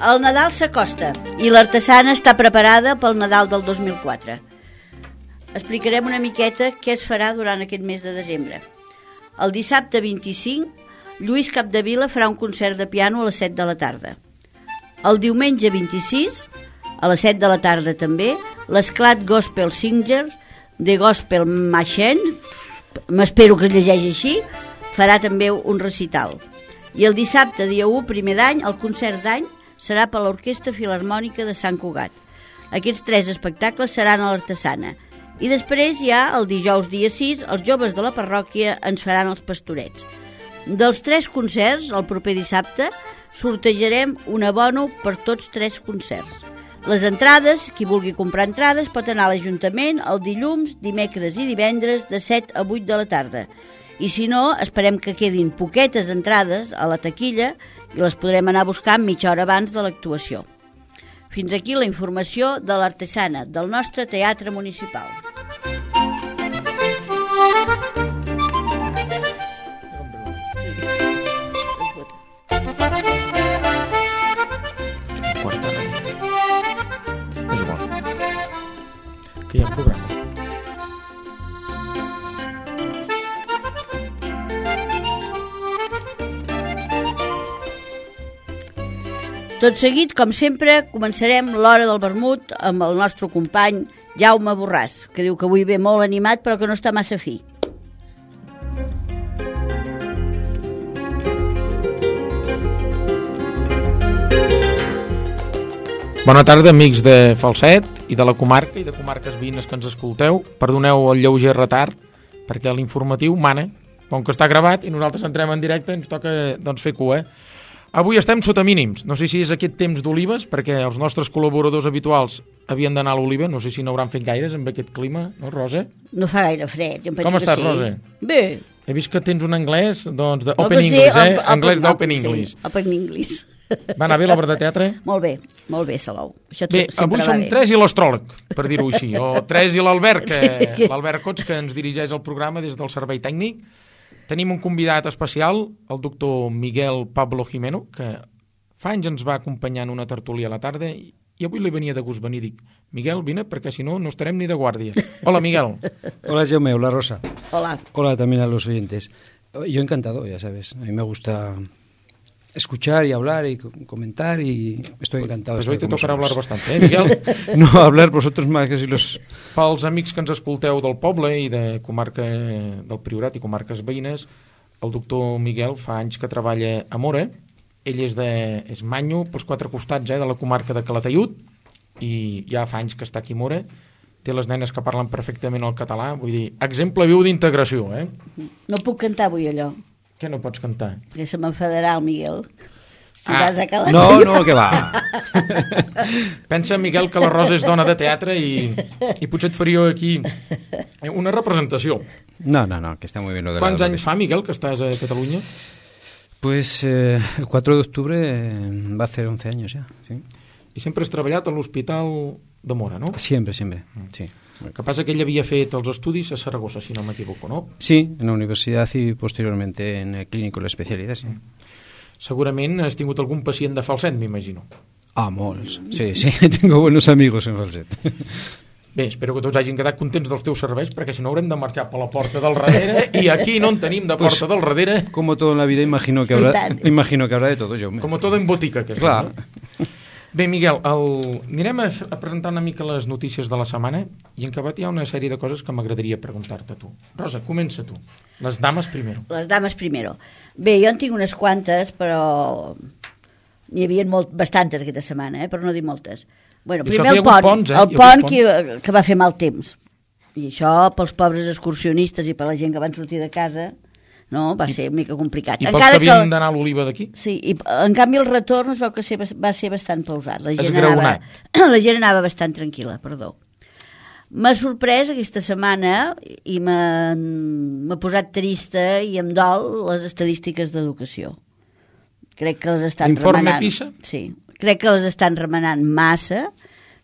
el Nadal s'acosta i l'Artesana està preparada pel Nadal del 2004. Explicarem una miqueta què es farà durant aquest mes de desembre. El dissabte 25, Lluís Capdevila farà un concert de piano a les 7 de la tarda. El diumenge 26, a les 7 de la tarda també, l'Esclat Gospel Singer de Gospel Machine, m'espero que es llegeixi així, farà també un recital. I el dissabte, dia 1, primer d'any, el concert d'any serà per l'Orquestra Filharmònica de Sant Cugat. Aquests 3 espectacles seran a l'Artesana. I després ja, el dijous dia 6, els joves de la parròquia ens faran els pastorets. Dels 3 concerts, el proper dissabte, sortejarem un abono per tots 3 concerts. Les entrades, qui vulgui comprar entrades, pot anar a l'Ajuntament el dilluns, dimecres i divendres de 7 a 8 de la tarda. I si no, esperem que quedin poquetes entrades a la taquilla i les podrem anar buscant mitja hora abans de l'actuació. Fins aquí la informació de l'Artesana, del nostre teatre municipal. Que hi ha programa. Tot seguit, com sempre, començarem l'hora del vermut amb el nostre company Jaume Borràs, que diu que avui ve molt animat però que no està massa fi. Bona tarda, amics de Falset i de la comarca i de comarques veïnes que ens escolteu. Perdoneu el lleuger retard, perquè l'informatiu mana, com que està gravat i nosaltres entrem en directe, ens toca doncs, fer cua. Avui estem sota mínims. No sé si és aquest temps d'olives, perquè els nostres col·laboradors habituals havien d'anar a l'oliva. No sé si n'hauran fet gaires amb aquest clima, no, Rosa? No fa gaire fred, jo em penso Com estàs, que sí. Rosa? Bé. He vist que tens un anglès, doncs, d'Open English, Anglès d'Open English. Sí, Open English. Va anar bé l'obra de teatre? Molt bé, Salou. Això bé, avui som 3 i l'astròleg, per dir-ho així, o 3 i l'Albert, l'Albert Cots, que ens dirigeix el programa des del servei tècnic. Tenim un convidat especial, el doctor Miguel Pablo Jimeno, que fa anys ens va acompanyar en una tertúlia a la tarda i avui li venia de gust venir. Dic, Miguel, vine, perquè si no, no estarem ni de guàrdia. Hola, Miguel. Hola, Jaume. Hola, Rosa. Hola. Hola también a los oyentes. Yo encantado, ya sabes. A mí me gusta escuchar y hablar y comentar y estoy encantado. Pues hoy te tocarà hablar bastante, Miguel? No, hablar vosotros más que si los... Pels amics que ens escolteu del poble i de comarca del Priorat i comarques veïnes, el doctor Miguel fa anys que treballa a Móra. Ell és manyo pels 4 costats de la comarca de Calataiud i ja fa anys que està aquí a Móra. Té les nenes que parlen perfectament el català, vull dir, exemple viu d'integració, eh? No puc cantar avui allò. Què no pots cantar? Perquè se m'enfadarà el Miguel. Si vas a calar. No, que va. Pensa, Miguel, que la Rosa és dona de teatre i potser et faria aquí una representació. No, que está muy bien lo de la... ¿Cuántos años fa, Miguel, que estás a Cataluña? Pues el 4 de octubre va a hacer 11 años ya, sí. I sempre has treballat a l'Hospital de Móra, no? Siempre, sí. El que passa que ell havia fet els estudis a Saragossa, si no m'equivoco, no? Sí, en la universidad y posteriormente en el clínico de la especialidad, sí. Segurament has tingut algun pacient de Falset, m'imagino. Ah, molts. Sí, tengo buenos amigos en Falset. Bé, espero que tots hagin quedat contents dels teus serveis, perquè si no haurem de marxar per la porta del darrere, i aquí no en tenim de porta del darrere. Como todo en la vida, imagino que habrá de todo, yo. Como todo en botica, que és. Clar. Bé, Miguel, anirem a presentar una mica les notícies de la setmana i en acabat hi ha una sèrie de coses que m'agradaria preguntar-te a tu. Rosa, comença tu. Les dames primero. Les dames primero. Bé, jo en tinc unes quantes, però n'hi havia bastantes aquesta setmana, però no dir moltes. Bueno, primer el pont que va fer mal temps. I això pels pobres excursionistes i per la gent que van sortir de casa... No, va ser una mica complicat. I pels que havien d'anar a l'Oliva d'aquí? Sí, i en canvi el retorn es veu que va ser bastant pausat. La gent anava bastant tranquil·la, perdó. M'ha sorprès aquesta setmana i m'ha posat trista i em dol les estadístiques d'educació. Crec que les estan remenant. L'informe PISA? Sí, crec que les estan remenant massa,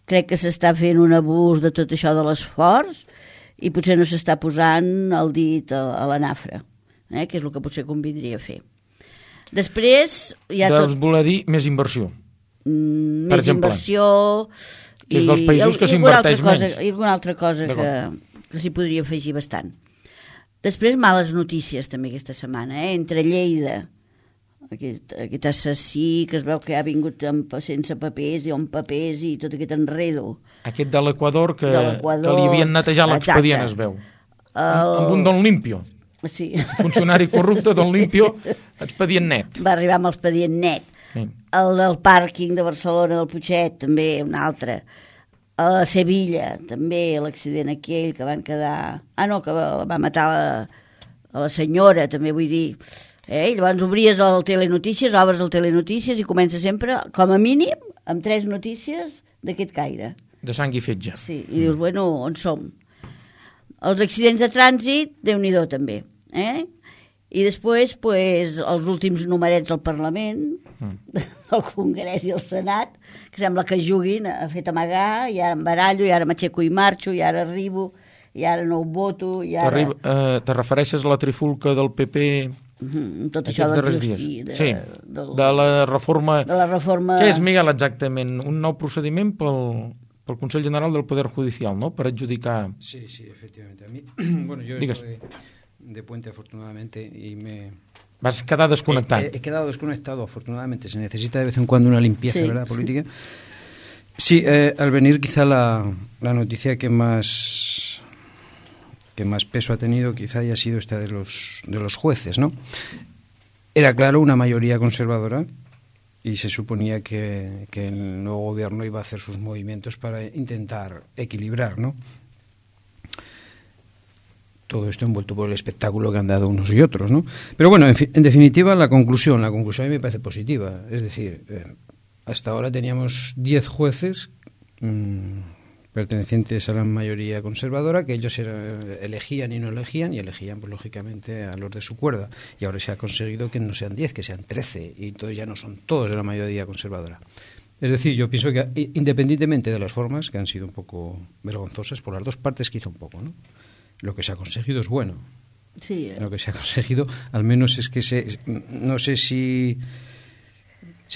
crec que s'està fent un abús de tot això de l'esforç i potser no s'està posant el dit a la nafra. Que és el que potser convindria fer. Després... Doncs voler dir més inversió. més inversió... Que és dels països que s'inverteix menys. I alguna altra cosa que s'hi podria afegir bastant. Després, males notícies també aquesta setmana, entre Lleida, aquest assassí que es veu que ha vingut sense papers i amb papers i tot aquest enredo. Aquest de l'Equador que li havien netejat l'expedient, es veu. Amb un Don Limpio. Sí. Funcionari corrupte, Don Limpio, expedient net. Va arribar amb l'expedient net. Sí. El del pàrquing de Barcelona, del Putxet, també, un altre. A Sevilla, també, l'accident aquell que van quedar... que va matar a la senyora, també vull dir... Llavors obries el Telenotícies, obres el Telenotícies i comença sempre, com a mínim, amb 3 notícies d'aquest caire. De sang i fetge. Sí, i dius, bueno, on som? Els accidents de trànsit, Déu-n'hi-do també. I després, els últims numerets al Parlament, el Congrés i el Senat, que sembla que juguin a fet amagar, i ara em barallo, i ara m'aixeco i marxo, i ara arribo, i ara no ho voto, i ara... Te refereixes a la trifulca del PP... tot això dels dies. Sí, de la reforma... Què és, Miguel, exactament? Un nou procediment pel Consell General del Poder Judicial, ¿no? Per adjudicar... Sí, efectivamente. A mí, bueno, yo estoy de puente, afortunadamente, y me... Vas quedar desconectado. He quedado desconectado, afortunadamente. Se necesita de vez en cuando una limpieza, sí. ¿Verdad, política? Sí, al venir quizá la noticia que más peso ha tenido quizá haya sido esta de los jueces, ¿no? Era claro una mayoría conservadora y se suponía que el nuevo gobierno iba a hacer sus movimientos para intentar equilibrar, ¿no? Todo esto envuelto por el espectáculo que han dado unos y otros, ¿no? Pero bueno, en definitiva, la conclusión a mí me parece positiva. Es decir, hasta ahora teníamos 10 jueces pertenecientes a la mayoría conservadora, que ellos elegían y no elegían, y elegían, pues lógicamente, a los de su cuerda. Y ahora se ha conseguido que no sean 10, que sean 13, y entonces ya no son todos de la mayoría conservadora. Es decir, yo pienso que, independientemente de las formas, que han sido un poco vergonzosas por las dos partes, quizá un poco, ¿no? Lo que se ha conseguido es bueno. Sí. Lo que se ha conseguido, al menos es que no sé si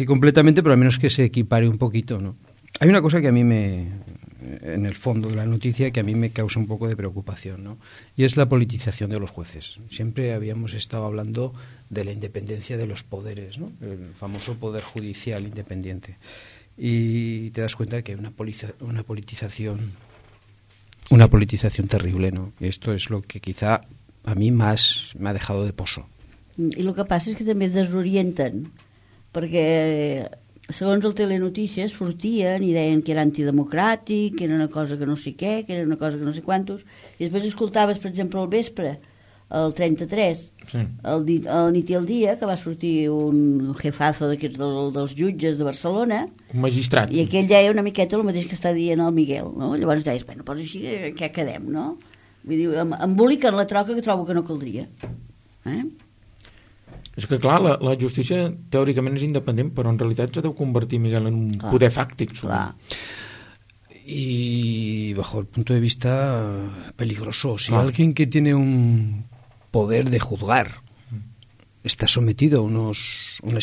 completamente, pero al menos que se equipare un poquito, ¿no? Hay una cosa que a mí en el fondo de la noticia, que a mí me causa un poco de preocupación, ¿no? Y es la politización de los jueces. Siempre habíamos estado hablando de la independencia de los poderes, ¿no? El famoso poder judicial independiente. Y te das cuenta de que hay una politización terrible, ¿no? Y esto es lo que quizá a mí más me ha dejado de poso. I el que passa és que també desorienten, perquè segons el Telenotícies sortien i deien que era antidemocràtic, que era una cosa que no sé què, que era una cosa que no sé quantos, i després escoltaves, per exemple, al vespre, el 33, sí. el nit i el dia, que va sortir un jefazo d'aquests dels jutges de Barcelona, un magistrat, i aquell deia una miqueta el mateix que està dient el Miguel, no? Llavors deies, bueno, doncs així què quedem, no? Vull dir, emboliquen la troca que trobo que no caldria. És que clar, la justícia teòricament és independent, però en realitat se deu convertir, Miguel, en un poder fàctic. Y bajo el punto de vista peligroso. Si alguien que tiene un poder de juzgar está sometido a unas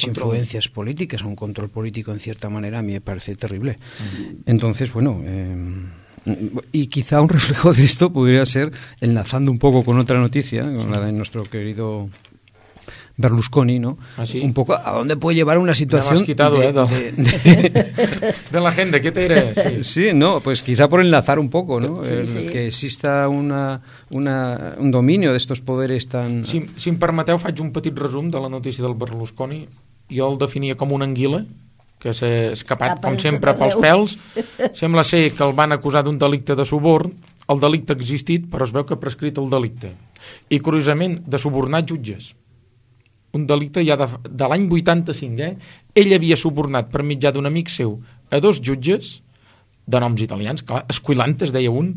influencias políticas, a un control político en cierta manera, a mí me parece terrible. Entonces, bueno, y quizá un reflejo de esto podría ser, enlazando un poco con otra noticia, con la de nuestro querido Berlusconi, ¿no? ¿Ah, sí? Un poco a dónde puede llevar una situación... Me has quitado, de la gente, ¿qué te diré? Sí, no, pues quizá por enlazar un poco, ¿no? Sí. Que exista un dominio de estos poderes tan... Si em permeteu, faig un petit resum de la notícia del Berlusconi. Jo el definia com una anguila que s'ha escapat, com sempre, pels pèls. Sembla ser que el van acusar d'un delicte de suborn. El delicte ha existit, però es veu que ha prescrit el delicte. I, curiosament, de subornar jutges. Un delicte ja de l'any 85, Ell havia subornat per mitjà d'un amic seu a 2 jutges, de noms italians, clar, Esquilantes, deia un,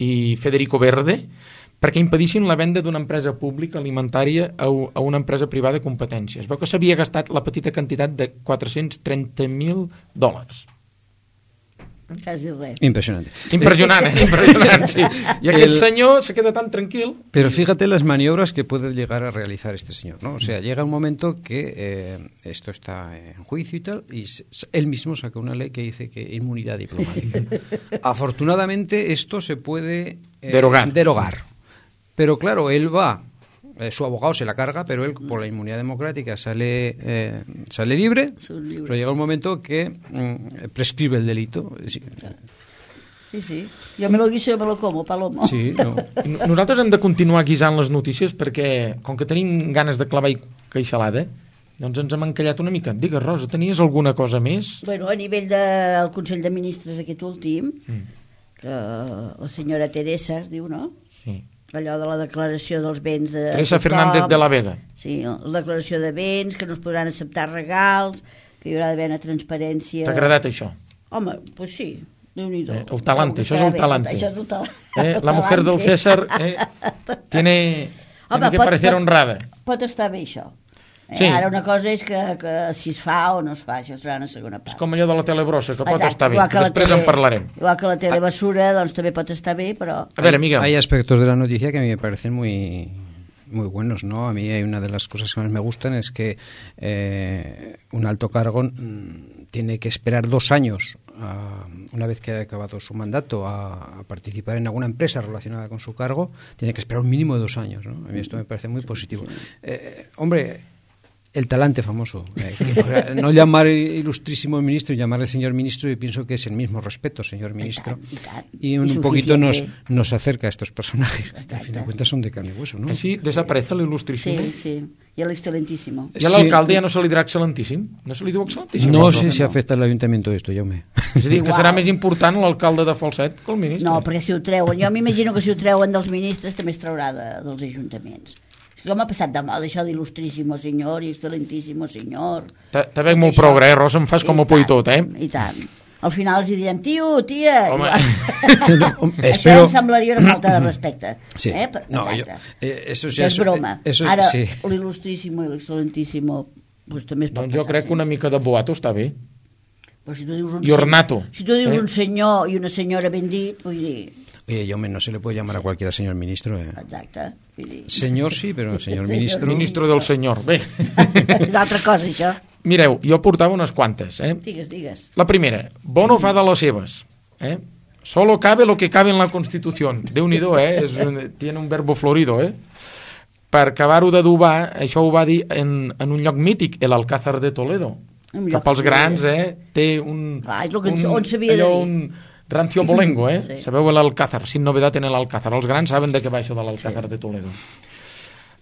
i Federico Verde, perquè impedissin la venda d'una empresa pública alimentària a una empresa privada de competència. Es veu que s'havia gastat la petita quantitat de $430,000. Quasi res. Impresionante. Impressionant, sí. I aquell senyor se queda tan tranquil. Pero fíjate las maniobras que puede llegar a realizar este señor, ¿no? O sea, llega un momento que esto está en juicio y tal, y él mismo saca una ley que dice que inmunidad diplomática. Afortunadamente esto se puede derogar. Pero claro, él va, su abogado se la carga, pero él por la inmunidad democrática sale libre, pero llega un momento que prescribe el delito. Sí. Jo me lo guiso i me lo como, Palomo. Sí, no. Nosaltres hem de continuar guisant les notícies perquè, com que tenim ganes de clavar i queixalada, doncs ens hem encallat una mica. Digues, Rosa, tenies alguna cosa més? Bueno, a nivell del Consell de Ministres aquest últim, que la senyora Teresa es diu, no? Sí. Allò de la declaració dels béns de Teresa Fernández de la Vega. Sí, la declaració de béns, que no es podran acceptar regals, que hi haurà d'haver una transparència... T'ha agradat això? Home, doncs sí, Déu-n'hi-do. El talante, això és el talante. Això és el talante. La mujer del César tiene que parecer honrada. Pot estar bé això. Sí. Ara una cosa és que si es fa o no es fa, això serà una segona part. És com allò de la telebrossa, que pot estar bé, que després en parlarem. Igual que la telebasura, doncs també pot estar bé, però... A ver, Miguel. Hay aspectos de la noticia que a mí me parecen muy buenos, ¿no? A mí hay una de las cosas que más me gustan es que un alto cargo tiene que esperar 2 años, una vez que ha acabado su mandato, a participar en alguna empresa relacionada con su cargo, tiene que esperar un mínimo de 2 años, ¿no? A mí esto me parece muy positivo. Hombre... El talante famoso. No llamar ilustrísimo ministro y llamarle señor ministro, yo pienso que es el mismo respeto, señor ministro. Y un poquito nos acerca a estos personajes. Que al fin de cuentas son de carne y hueso, ¿no? Així desaparece l'il·lustrísimo. Sí. Y el excelentísimo. I a l'alcalde ja no se li dirà excel·lentíssim? No se li diu excel·lentíssim? No sé si afecta al ayuntamiento esto, Jaume. És a dir, que serà més important l'alcalde de Falset que el ministre. No, perquè si ho treuen, jo m'imagino que si ho treuen dels ministres també es traurà dels ajuntaments. Com ha passat de moda això d'il·lustríssimo senyor i excelentíssimo senyor. Te veig molt progre, Rosa, em fas com a por i tot, I tant. Al final els direm, tio, tia... Home. Això em semblaria una falta de respecte. Sí. No, eso sí, és broma. Ara, sí. l'il·lustríssimo i l'excelentíssimo pues, també es pot doncs jo crec que una mica de boato està bé. Però si tu dius I ornato. Si tu dius un senyor i una senyora ben dit, vull dir... Oye, Jaume, no se le puede llamar a cualquiera señor ministro. Exacte. Señor sí, però señor ministro... Ministro del senyor, bé. Una altra cosa, això. Mireu, jo portava unes quantes. Digues. La primera, Bono fa de les seves. Solo cabe lo que cabe en la Constitución. Déu-n'hi-do, tiene un verbo florido, Per acabar-ho d'adobar, això ho va dir en un lloc mític, l'Alcázar de Toledo. Que pels grans, té un... és el que on s'havia de dir. Un rancio bolengo, Sí. Sabeu l'Alcázar, sin novedad en l'Alcázar. Els grans saben de què va això de l'Alcázar de Toledo.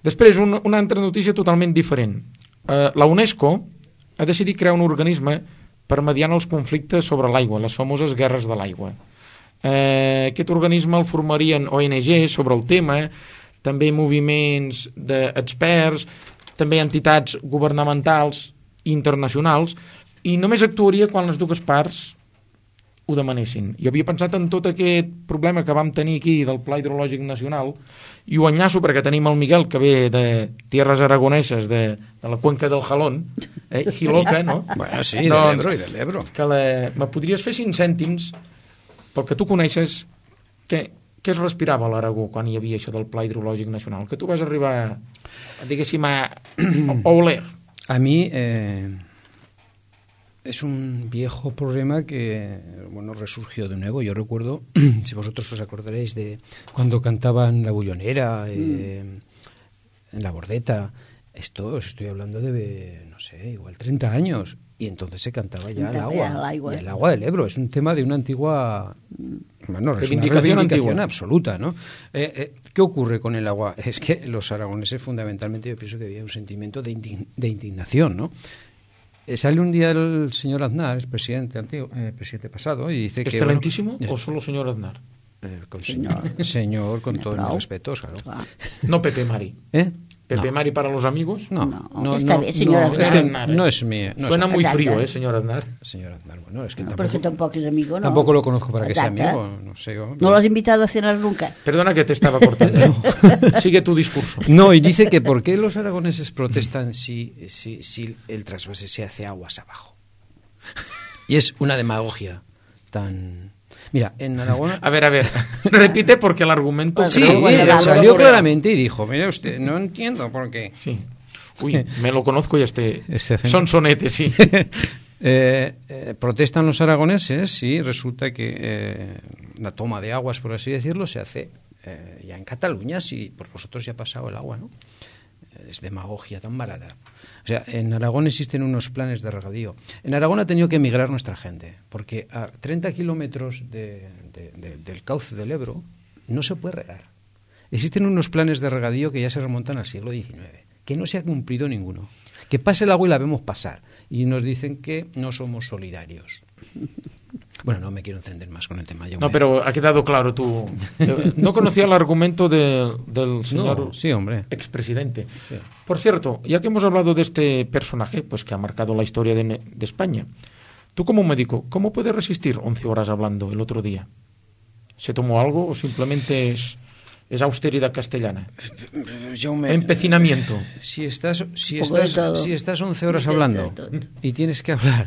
Després, una altra notícia totalment diferent. La UNESCO ha decidit crear un organisme per mediar els conflictes sobre l'aigua, les famoses guerres de l'aigua. Aquest organisme el formarien ONGs sobre el tema, també moviments d'experts, també entitats governamentals internacionals, i només actuaria quan les dues parts ho demanessin. Jo havia pensat en tot aquest problema que vam tenir aquí del Pla Hidrològic Nacional i ho enllaço perquè tenim el Miguel que ve de tierras aragoneses de la cuenca del Jalón, Jiloca, no? Bueno, sí, doncs, de l'Ebro. Me podries fer 5 cèntims pel que tu coneixes què es respirava a l'Aragó quan hi havia això del Pla Hidrològic Nacional? Que tu vas arribar, diguéssim, a oler. A mi... Es un viejo problema que, bueno, resurgió de nuevo. Yo recuerdo, si vosotros os acordaréis de cuando cantaban La Bullonera, en La Bordeta, esto os estoy hablando de, no sé, igual 30 años, y entonces se cantaba ya el agua del Ebro. Es un tema de una antigua... Bueno, es una reivindicación absoluta, ¿no? ¿Qué ocurre con el agua? Es que los aragoneses, fundamentalmente, yo pienso que había un sentimiento de indignación, ¿no? Sale un día el señor Aznar, el presidente pasado, y dice que... ¿Excelentísimo o solo señor Aznar? Señor, con todos mis respetos, claro. No Pepe Mari. ¿Pepe Mari para los amigos? No, está bien, señor Aznar. Es que no es mío. Suena muy frío, señor Aznar. Señor Aznar, bueno, es que tampoco... Porque tampoco es amigo, ¿no? Tampoco lo conozco para que sea amigo, no sé. ¿No lo has invitado a cenar nunca? Perdona que te estaba cortando. Sigue tu discurso. No, y dice que ¿por qué los aragoneses protestan si el trasvase se hace aguas abajo? Y es una demagogia tan... Mira, en Aragón... A ver, repite porque el argumento... Sí, salió claramente y dijo, mire usted, no entiendo por qué. Sí. Uy, me lo conozco y son sonetes, sí. Protestan los aragoneses y resulta que la toma de aguas, por así decirlo, se hace ya en Cataluña, si por vosotros ya ha pasado el agua, ¿no? Es demagogia tan barata. O sea, en Aragón existen unos planes de regadío. En Aragón ha tenido que emigrar nuestra gente, porque a 30 kilómetros del cauce del Ebro no se puede regar. Existen unos planes de regadío que ya se remontan al siglo XIX, que no se ha cumplido ninguno. Que pase el agua y la vemos pasar. Y nos dicen que no somos solidarios. Bueno, no me quiero encender más con el tema. No, pero ha quedado claro tú. No conocía el argumento del señor expresidente. Sí. Por cierto, ya que hemos hablado de este personaje, pues que ha marcado la historia de España, tú como médico, ¿cómo puedes resistir 11 horas hablando el otro día? ¿Se tomó algo o simplemente es austeridad castellana? Empecinamiento. Si estás 11 horas hablando y tienes que hablar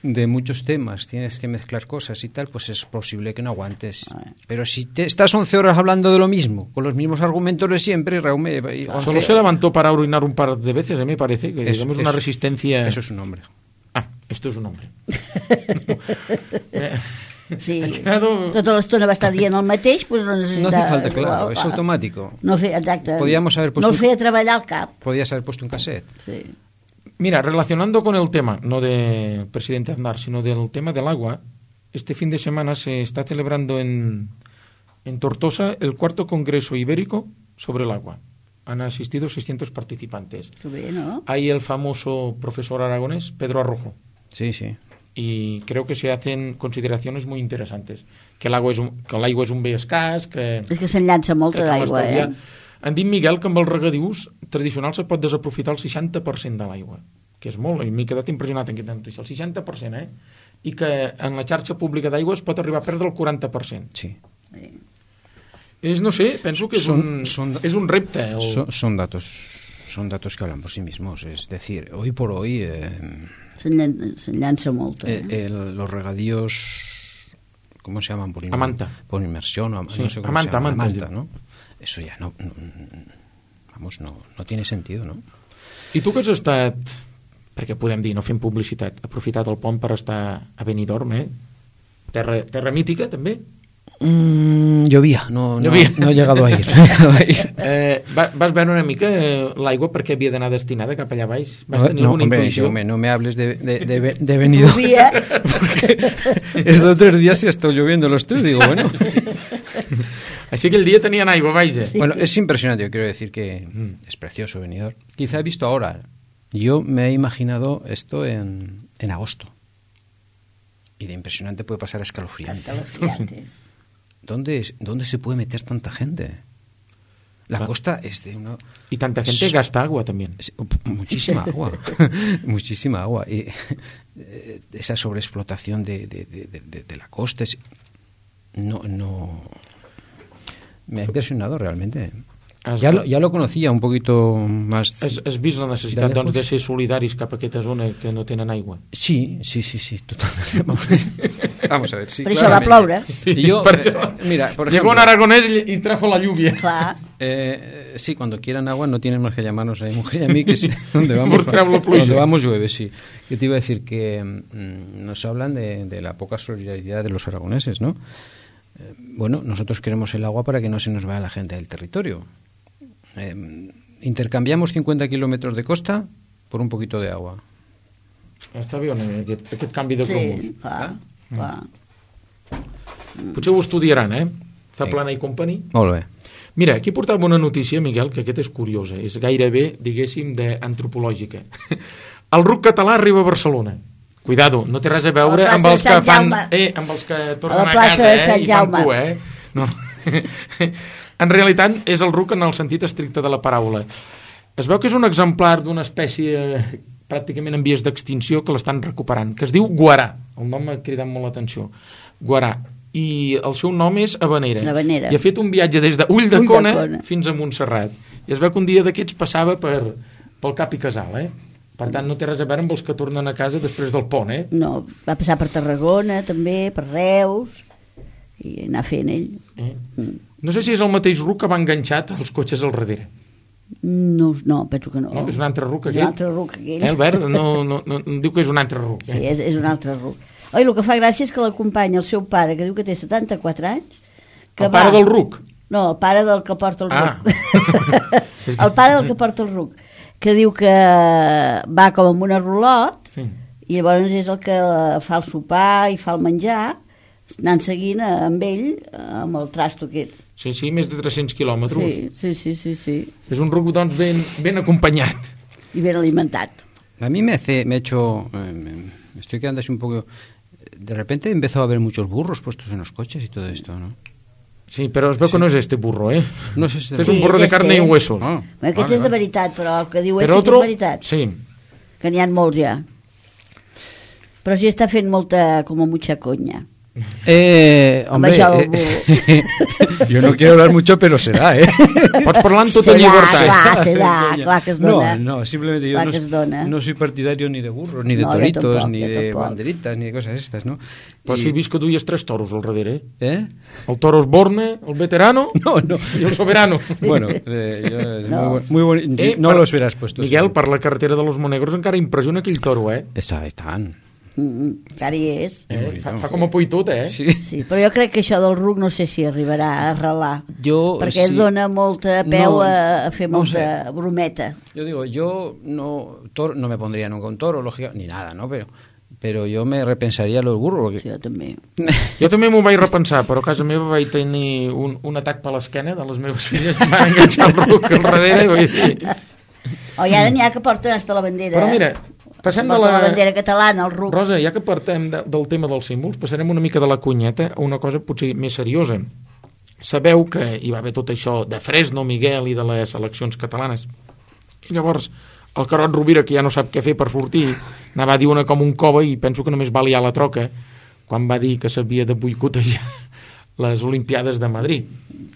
de muchos temas, tienes que mezclar cosas y tal, pues es posible que no aguantes. Pero si estás 11 horas hablando de lo mismo, con los mismos argumentos de siempre... Solo se levantó para orinar un par de veces, me parece, que digamos una resistencia... Eso es un hombre. Esto és un hombre. Sí, tota l'estona va estar dient el mateix, doncs no necessita... No hace falta, claro, es automático. Exacte. Podíamos haber puesto no feia treballar el cap. Podías haber puesto un cassette. Sí. Mira, relacionando con el tema, no del presidente Aznar, sino del tema del agua, este fin de semana se está celebrando en Tortosa el 4º Congreso Ibérico sobre el agua. Han asistido 600 participantes. Qué bien, ¿no? Hay el famoso profesor aragonés, Pedro Arrojo. Sí, sí. Y creo que se hacen consideraciones muy interesantes. Que l'aigua és un bé escàs, que... És que se'n llança molta d'aigua, Han dit, Miguel, que amb els regadius tradicionals se pot desaprofitar el 60% de l'aigua, que és molt, i m'he quedat impressionat en aquesta notícia, el 60%, I que en la xarxa pública d'aigua es pot arribar a perdre el 40%. Sí. No sé, penso que és un repte. Son datos que hablan por sí mismos. Es decir, hoy por hoy... Se llança molt. Los regadíos, ¿cómo se llaman? Por inmersión, no sé cómo se llama. Amanta, ¿no? Eso ya no tiene sentido, ¿no? I tu que has estat, perquè podem dir, no fem publicitat, aprofitat el pont per estar a Benidorm, terra mítica, també? Llovia, no he llegado a ir. Vas veure una mica l'aigua perquè havia d'anar destinada cap allà baix? Vas tenir alguna intuïció? No me hables de Benidorm. Porque estos 3 días ya está lloviendo los 3, digo, bueno. Así que el día tenían aigua, vaja. Sí. Bueno, es impresionante, yo quiero decir que es precioso Benidorm. Quizá he visto ahora. Yo me he imaginado esto en agosto. Y de impresionante puede pasar a escalofriante. ¿Dónde se puede meter tanta gente? La costa es de una... Y tanta gente gasta agua también. Muchísima agua. Muchísima agua. Y esa sobreexplotación de la costa no... Me ha impresionado realmente. Ja lo conocía un poquito más... Has vist la necessitat de ser solidaris cap a aquesta zona que no tenen aigua? Sí, totalmente. Vamos a ver, sí. Pero eso va a ploure. Y yo, mira, por ejemplo, llegó un aragonés y trajo la lluvia. Clar. Sí, cuando quieran agua no tienen más que llamarnos a mi mujer y a mí, que es donde vamos llueve, sí. Yo te iba a decir que nos hablan de la poca solidaridad de los aragoneses, ¿no? Bueno, nosotros queremos el agua para que no se nos vaya la gente del territorio. Intercanviamos 50 kilómetros de costa por un poquito de agua. Està bé, aquest canvi de cromos. Sí, clar. Potser ho estudiaran, Zaplana i Company. Molt bé. Mira, aquí portava una notícia, Miguel, que aquesta és curiosa, és gairebé, diguéssim, d'antropològica. El RUC català arriba a Barcelona. Cuidado, no té res a veure amb els que fan... amb els que tornen a casa i fan cua, No. En realitat és el RUC en el sentit estricte de la paraula. Es veu que és un exemplar d'una espècie pràcticament en vies d'extinció que l'estan recuperant, que es diu guarà. El nom m'ha cridat molt l'atenció. Guarà. I el seu nom és Havanera. I ha fet un viatge des d'Ulldecona fins a Montserrat. I es veu que un dia d'aquests passava pel Cap i Casal, Per tant, no té res a veure amb els que tornen a casa després del pont, No, va passar per Tarragona, també, per Reus, i anar fent ell. No sé si és el mateix RUC que va enganxat als cotxes al darrere. No, penso que no. És un altre RUC, aquell? És un altre RUC, aquell. Albert, no, diu que és un altre RUC. Sí, és un altre RUC. Oi, el que fa gràcia és que l'acompanya el seu pare, que diu que té 74 anys. Que el pare del RUC? No, el pare del que porta el RUC. El pare del que porta el RUC, que diu que va com amb una rulot, i llavors és el que fa el sopar i fa el menjar, anant seguint amb ell, amb el trasto aquest. Sí, més de 300 quilòmetres. Sí. És un RUC, doncs, ben acompanyat. I ben alimentat. A mí me ha hecho... me estoy quedando así un poco... De repente empezó a haber muchos burros puestos en los coches y todo esto, ¿no? Sí, però es veu que no és este burro, No és este burro. És un burro de carne i huesos. Aquest és de veritat, però el que diu ell sí que és veritat. Sí. Que n'hi ha molts ja. Però sí està fent com mucha conya. Hombre, yo no quiero hablar mucho, pero se da, Pots parlar amb tota llibertat. Se da, clar que es dona. No, simplemente yo no soy partidario ni de burros, ni de toritos, ni de banderitas, ni de cosas estas, ¿no? Però si he vist que duies 3 toros al darrere, El toro Osborne, el veterano i el soberano. Bueno, muy bonito. No los verás puestos. Miguel, per la carretera de los Monegros encara impressiona aquell toro, Estan. Encara hi és. Fa com a por i tot, Sí, però jo crec que això del RUC no sé si arribarà a arrelar, perquè dona molta peu a fer molta brometa. Yo digo, yo no me pondría nunca un toro, lógica, ni nada, ¿no? Pero yo me repensaría los burros. Porque... Sí, jo també. Jo també m'ho vaig repensar, però a casa meva vaig tenir un atac per l'esquena de les meves filles, em van enganxar el RUC al darrere i vaig dir... I ara n'hi ha que porten hasta la bandera. Però mira, passem de la bandera catalana, el RUC. Rosa, ja que partem del tema dels símbols, passarem una mica de la cunyeta a una cosa potser més seriosa. Sabeu que hi va haver tot això de Fresno, Miguel, i de les eleccions catalanes. I llavors, el Carod Rovira, que ja no sap què fer per sortir, anava a dir una com un cova i penso que només va liar la troca quan va dir que s'havia de boicotejar les Olimpiades de Madrid.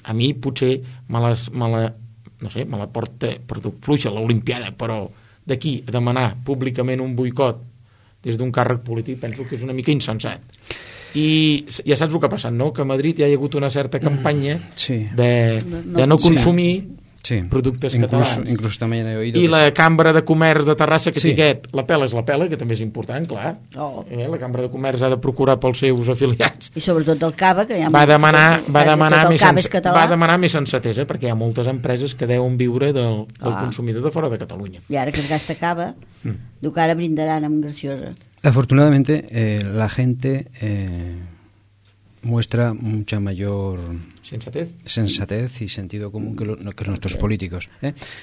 A mi potser me la porta fluixa l'Olimpiada, però d'aquí a demanar públicament un boicot des d'un càrrec polític penso que és una mica insensat. I ja saps el que ha passat, no? Que a Madrid ja hi ha hagut una certa campanya de no consumir productes catalans. Incluso también he oído. I la Cambra de Comerç de Terrassa, que tiquet, la pela és la pela, que també és important, clar. La Cambra de Comerç ha de procurar pels seus afiliats. I sobretot el Cava, que hi ha va demanar més sensatesa, perquè hi ha moltes empreses que deuen viure del consumidor de fora de Catalunya. I ara que es gasta Cava, diu que ara brindaran amb graciosa. Afortunadamente, la gente muestra mucha mayor sensatez y sentido común que nuestros políticos.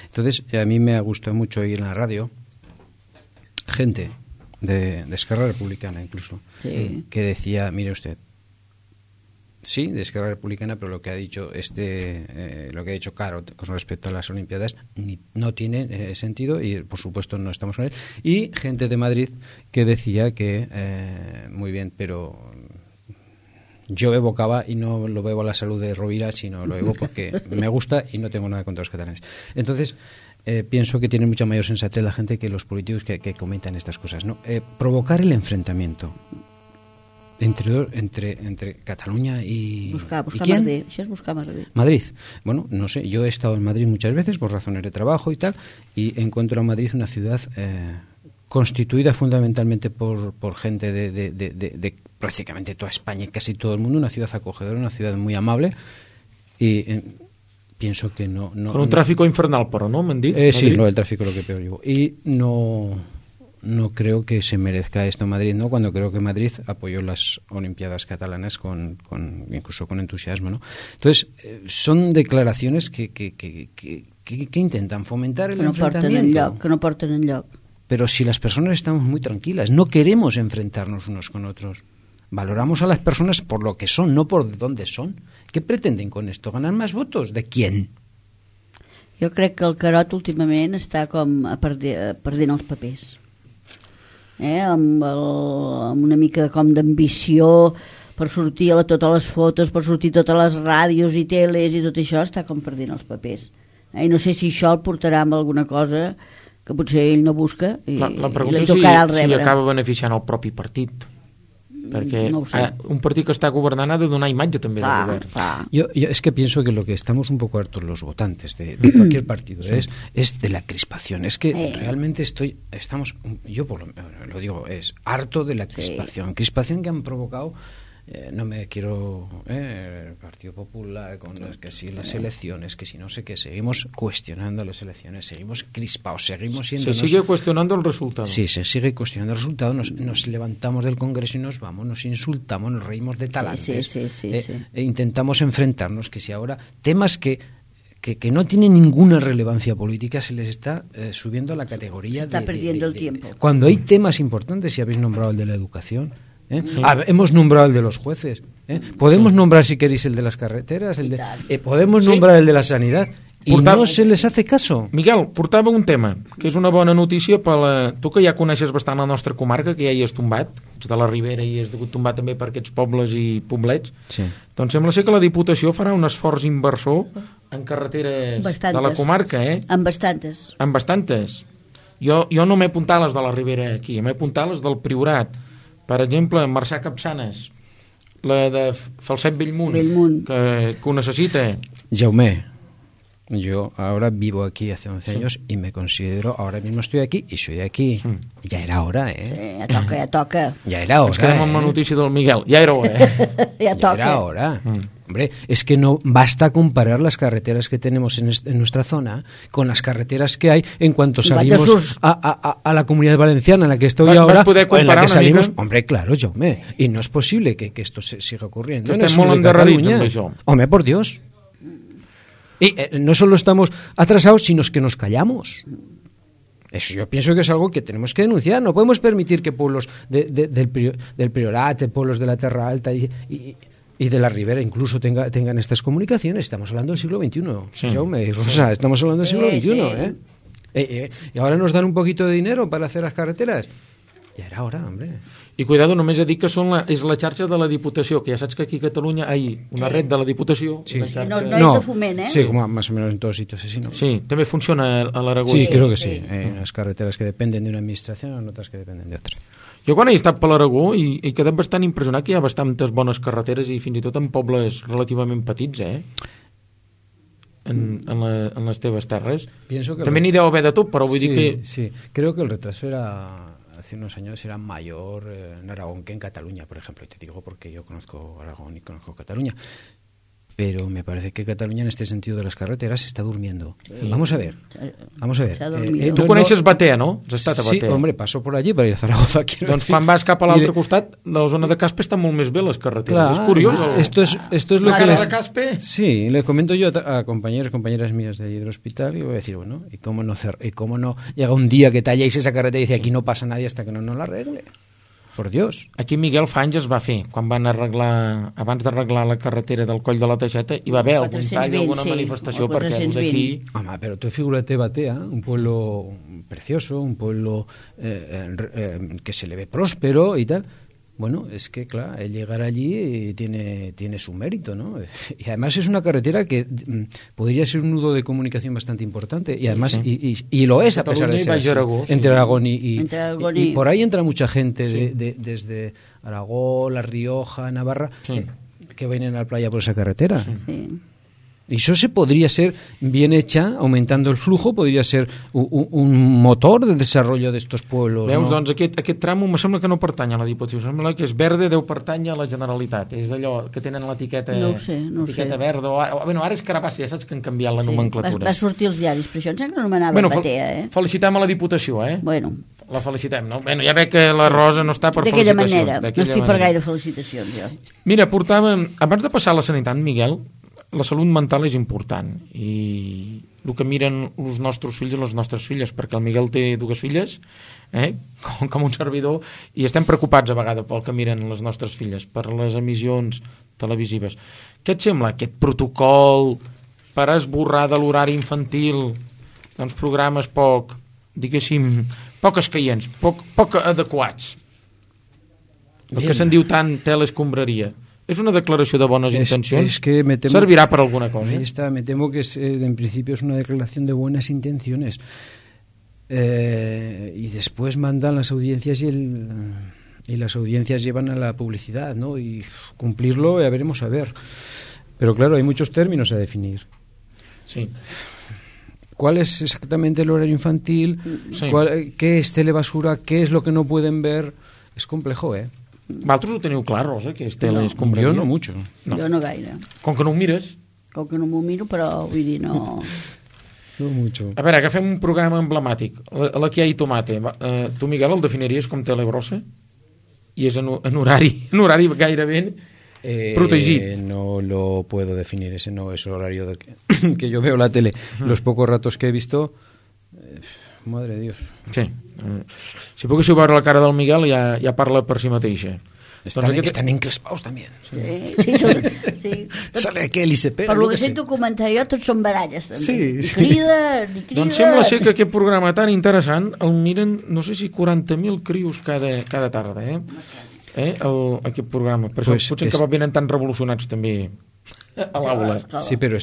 Entonces, a mí me ha gustado mucho oír en la radio gente de Esquerra Republicana incluso, que decía, mire usted, sí, de Esquerra Republicana, pero lo que ha dicho lo que ha dicho Caro con respecto a las Olimpiadas no tiene sentido y por supuesto no estamos con él. Y gente de Madrid que decía que muy bien, pero yo bebo cava y no lo bebo a la salud de Rovira, sino lo bebo porque me gusta y no tengo nada contra los catalanes. Entonces, pienso que tiene mucha mayor sensatez la gente que los políticos que comentan estas cosas, ¿no? Provocar el enfrentamiento entre Cataluña y... Buscar ¿quién? Madrid. Això és buscar Madrid. Madrid. Bueno, no sé, yo he estado en Madrid muchas veces por razones de trabajo y tal, y encuentro a Madrid una ciudad constituida fundamentalmente por gente de prácticamente toda España y casi todo el mundo, una ciudad acogedora, una ciudad muy amable, y pienso que no... Con un tráfico infernal, pero ¿no? ¿Me han dicho? Sí, no, el tráfico es lo que peor llevo. Y no creo que se merezca esto en Madrid, ¿no? Cuando creo que Madrid apoyó las Olimpiadas catalanas incluso con entusiasmo, ¿no? Entonces, son declaraciones que intentan fomentar el enfrentamiento. Que no porten enlloc. Pero si las personas estamos muy tranquilas, no queremos enfrentarnos unos con otros. Valoramos a las personas por lo que son, no por dónde son. ¿Qué pretenden con esto? ¿Ganar más votos? ¿De quién? Jo crec que el Carot últimament està com perdent els papers. Amb una mica com d'ambició per sortir a totes les fotos, per sortir a totes les ràdios i teles i tot això, està com perdent els papers. I no sé si això el portarà amb alguna cosa que potser ell no busca i la pregunta li és tocarà el si rebre. acaba beneficiant el propi partit, perquè No ho sé. un partit que està governant ha de donar imatge també de govern. Yo es que pienso que lo que estamos un poco hartos los votantes de cualquier partido es de la crispación. Es que realmente yo lo digo, es harto de la crispación. Crispación que han provocado, no me quiero, el Partido Popular, con que si las elecciones, que si no sé qué, seguimos cuestionando las elecciones, seguimos crispados, seguimos siendo... Se sigue cuestionando el resultado. Sí, se sigue cuestionando el resultado, nos levantamos del Congreso y nos vamos, nos insultamos, nos reímos de talantes, sí. E intentamos enfrentarnos, que si ahora temas que no tienen ninguna relevancia política se les está subiendo a la categoría está perdiendo el tiempo. Cuando hay temas importantes, si habéis nombrado el de la educación, hemos nombrado el de los jueces, podemos nombrar, si queréis, el de las carreteras, podemos nombrar el de la sanidad, i no se les hace caso. Miguel, portava un tema, que és una bona notícia per tu que ja coneixes bastant la nostra comarca, que ja hi has tombat, ets de la Ribera i has degut tombar també per aquests pobles i poblets, doncs sembla ser que la Diputació farà un esforç inversor en carreteres de la comarca, En bastantes. En bastantes. Jo no m'he apuntat les de la Ribera aquí, m'he apuntat les del Priorat. Per exemple, Marçà Capçanes, la de Falset Bellmunt. Que ho necessita. Jaume, yo ahora vivo aquí hace 11 años y me considero, ahora mismo estoy aquí y soy de aquí. Ya era hora, Ja toca. Ya era hora. Ens quedem amb la notícia del Miguel. Ja era hora, Ya toca. Ya era hora. Hombre, es que no basta comparar las carreteras que tenemos en nuestra zona con las carreteras que hay en cuanto salimos a la Comunidad Valenciana, en la que estoy ahora, o en la que salimos. Hombre, claro, Jaume, y no es posible que esto siga ocurriendo. Que estem molt endarrerits amb això. Hombre, por Dios. Y no solo estamos atrasados, sino que nos callamos. Eso yo pienso que es algo que tenemos que denunciar. No podemos permitir que pueblos del Priorat, de pueblos de la Terra Alta y de la Ribera incluso tengan estas comunicaciones. Estamos hablando del siglo XXI. Jaume y Rosa, estamos hablando del siglo XXI. Y ahora nos dan un poquito de dinero para hacer las carreteras. Ja era hora, hombre. I cuidado, només he dit que és la xarxa de la Diputació, que ja saps que aquí a Catalunya hi ha una red de la Diputació. Sí. No és de foment, Sí, como más o menos en todos sitios así, ¿no? Sí, també funciona a l'Aragó. Sí, creo que sí. Hay unas carreteras que dependen de una administración, otras que dependen de otra. Jo quan he estat per l'Aragó he quedat bastant impressionat que hi ha bastantes bones carreteres i fins i tot en pobles relativament petits, en les teves terres. També n'hi deu haver de tot, però vull dir que... Sí, creo que el retraso hace unos años era mayor en Aragón que en Cataluña, por ejemplo. Y te digo porque yo conozco Aragón y conozco Cataluña. Pero me parece que Cataluña en este sentido de las carreteras se está durmiendo. Vamos a ver. Tu coneixes Batea, no? Has estat a Batea. Sí, hombre, paso por allí para ir a Zaragoza. Doncs quan vas cap a l'altre costat, de la zona de Caspe estan molt més bé les carreteres. Claro, és curiós. Esto es lo que les... Caspe? Sí, le comento yo a compañeras mías de allí del hospital y voy a decir, bueno, ¿y cómo no llega un día que talláis esa carretera y dice aquí no pasa nadie hasta que no la arregle? Por Dios. Aquí Miguel fa anys es va fer, quan van arreglar, abans d'arreglar la carretera del Coll de la Teixeta, hi va haver algun tall, alguna manifestació, perquè d'aquí... Home, pero tú figúrate Batea, un pueblo precioso, un pueblo que se le ve próspero y tal. Bueno, es que, claro, el llegar allí tiene su mérito, ¿no? Y además es una carretera que podría ser un nudo de comunicación bastante importante. Y además, y lo es a pesar de ser así, entre Aragón y por ahí entra mucha gente desde Aragón, La Rioja, Navarra, que vienen a la playa por esa carretera. Sí. Y eso se podría ser bien hecha, aumentando el flujo, podria ser un motor de desarrollo d'estos pueblos. Veus, no? doncs aquest tram me sembla que no pertany a la Diputació, sembla que és verde, deu pertany a la Generalitat. És d'allò que tenen l'etiqueta verda. Bueno, ara és Carabassa, ja saps que han canviat la nomenclatura. Va sortir als diaris, però això em sembla que anomenava Batea, Felicitem a la Diputació, Bueno. La felicitem, no? Bueno, ja veig que la Rosa no està per felicitacions. D'aquella manera, no estic per gaire felicitacions, jo. Mira, abans de passar a la sanitat, Miguel, la salut mental és important i el que miren els nostres fills i les nostres filles, perquè el Miguel té 2 filles, com un servidor, i estem preocupats a vegades pel que miren les nostres filles, per les emissions televisives. Què et sembla aquest protocol per esborrar de l'horari infantil doncs programes poc, diguéssim, poc escaients, poc adequats? El que se'n diu tant tela escombraria. ¿Es una declaración de buenas intenciones? ¿Servirá para alguna cosa? Me temo que en principio es una declaración de buenas intenciones. y después mandan las audiencias y las audiencias llevan a la publicidad, ¿no? Y cumplirlo ya veremos a ver. Pero claro, hay muchos términos a definir. Sí. ¿Cuál es exactamente el horario infantil? Sí. ¿Qué es telebasura? ¿Qué es lo que no pueden ver? Es complejo, ¿eh? Vosaltres ho teniu clar, Rosa, que és tele No. escombraria? Jo no mucho. No. Jo no gaire. Com que no ho mires... Com que no m'ho miro, però vull dir, no... No mucho. A veure, agafem un programa emblemàtic, la que hi ha i tomate. Tu, Miguel, el definiries com telebrossa? I és en horari gairebé protegit. No lo puedo definir, ese no es horario que yo veo la tele. Los pocos ratos que he visto, madre de Dios. Sí. Si poguéssiu veure la cara del Miguel, ja parla per si mateixa. Están encrespados también. Sí. Sale aquel y se pega. Per lo que sento comentar jo, tots són baralles, també. Sí. Ni criden. Doncs sembla ser que aquest programa tan interessant el miren, no sé si 40.000 crios cada tarda, aquest programa. Per això potser que venen tan revolucionats també a l'aula. Sí, pero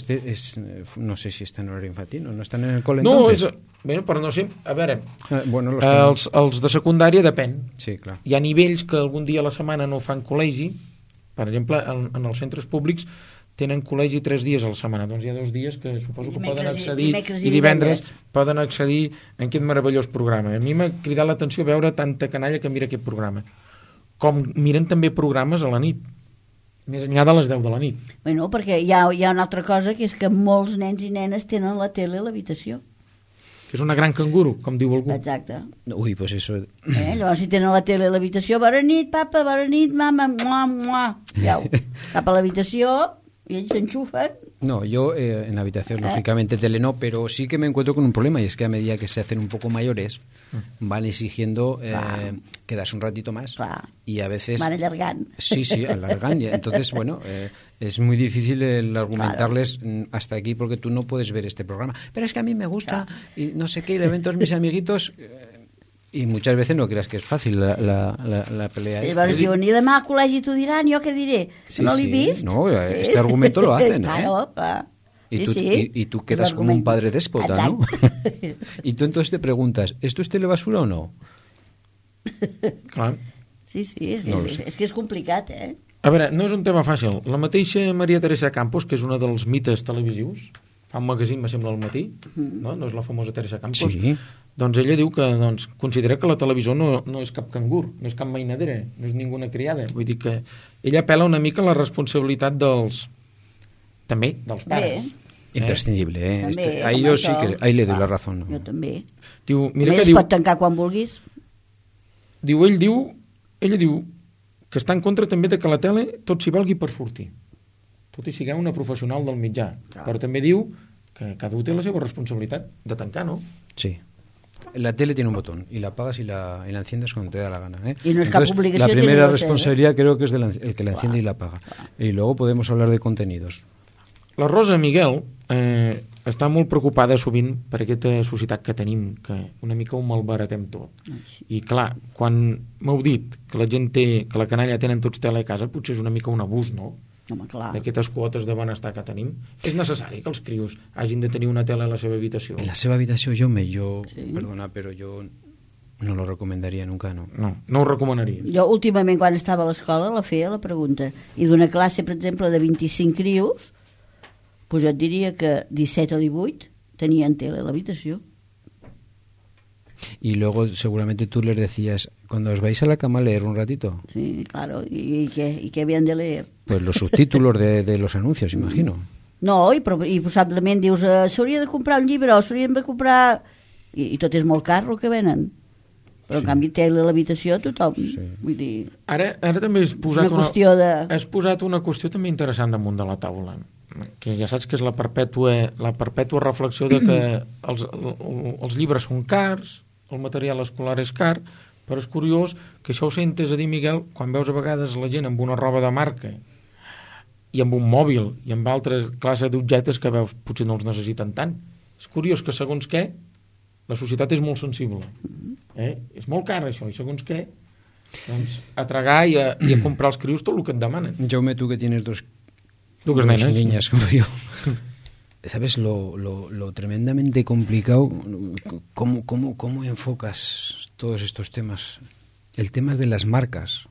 no sé si está en horario infantil, no están en el cole No, entonces. Bueno, però no sé, a veure, bueno, els de secundària depèn. Sí, clar. Hi ha nivells que algun dia a la setmana no fan col·legi, per exemple, en els centres públics tenen col·legi 3 dies a la setmana, doncs hi ha 2 dies que suposo que poden accedir, i divendres poden accedir en aquest meravellós programa. A mi m'ha cridat l'atenció veure tanta canalla que mira aquest programa. Com miren també programes a la nit, més enllà de les 10 de la nit. Bueno, perquè hi ha una altra cosa, que és que molts nens i nenes tenen la tele a l'habitació. Que és una gran canguro, com diu algú. Exacte. Uy, pues eso... Llavors, si tenen la tele a l'habitació, bona nit, papa, bona nit, mama, mua, mua. Jau, cap a l'habitació, y ellos se enchufan. No, yo en la habitación, lógicamente, tele no, pero sí que me encuentro con un problema, y es que a medida que se hacen un poco mayores, van exigiendo quedarse un ratito más. Y a veces... Van alargant. Sí, alargan. Entonces, bueno, es muy difícil el argumentarles hasta aquí porque tú no puedes ver este programa. Pero es que a mí me gusta, y no sé qué, y le ven todos mis amiguitos... Y muchas veces no creas que es fácil la pelea. Llavors diuen, i demà al col·legi t'ho diran, jo què diré? Sí, no l'he vist? No, este argumento lo hacen, claro, Y tú quedas como un padre déspota, ¿no? Y tú entonces te preguntas, ¿esto es telebasura o no? Clar. Sí, és que és complicat, eh? A veure, no és un tema fàcil. La mateixa Maria Teresa Campos, que és una dels mites televisius, fa un magazín, me sembla, al matí, no és la famosa Teresa Campos, sí. Doncs ella diu que considera que la televisió no és cap cangur, no és cap mainadera, no és ninguna criada. Vull dir que ella apela una mica a la responsabilitat dels pares. Imprescindible, ¿eh? Ahí yo sí que ahí le doy la razón. Jo també. Diu, mira que es pot tancar quan vulguis. Ella diu que està en contra també de que la tele tot s'hi valgui per sortir, tot i sigueu una professional del mitjà, però també diu que cada un té la seva responsabilitat de tancar, ¿no? Sí. La tele tiene un botón y la apagas y la enciendes cuando te da la gana, ¿eh? Y no es cap obligació. La primera responsabilidad creo que es el que la enciende y la apaga. Y luego podemos hablar de contenidos. La Rosa Miguel està molt preocupada sovint per aquesta societat que tenim, que una mica ho malbaratem tot. I clar, quan m'heu dit que la gent que la canalla tenen tots tele a casa, potser és una mica un abús, no? D'aquestes quotes de benestar que tenim. És necessari que els crios hagin de tenir una tele a la seva habitació? En la seva habitació perdona, però jo no lo recomendaria nunca, no. No ho recomanaria. Jo últimament, quan estava a l'escola, la feia la pregunta. I d'una classe, per exemple, de 25 crios, pues jo et diria que 17 o 18 tenien tele a l'habitació. Y luego seguramente tú les decías, cuando os vais a la cama, leer un ratito. Sí, claro. ¿Y qué habían de leer? Pues los subtítulos de los anuncios, imagino. No, i possiblement dius, s'hauria de comprar un llibre o s'hauríem de comprar... I tot és molt car el que venen. Però en canvi tele a l'habitació tothom. Sí. Vull dir... Ara també has posat una qüestió també interessant damunt de la taula, que ja saps que és la perpètua reflexió de que els llibres són cars, el material escolar és car, però és curiós que això ho sentes a dir, Miguel, quan veus a vegades la gent amb una roba de marca i amb un mòbil i amb altres classes d'objectes que veus potser no els necessiten tant. És curiós que segons què la societat és molt sensible. És molt car això, i segons què doncs a tragar i a comprar els crios tot el que et demanen. Jaume, tu que tienes dos nenes, niñas como yo. ¿sabes lo tremendamente complicado? ¿Cómo enfocas todos estos temas? El tema de las marcas.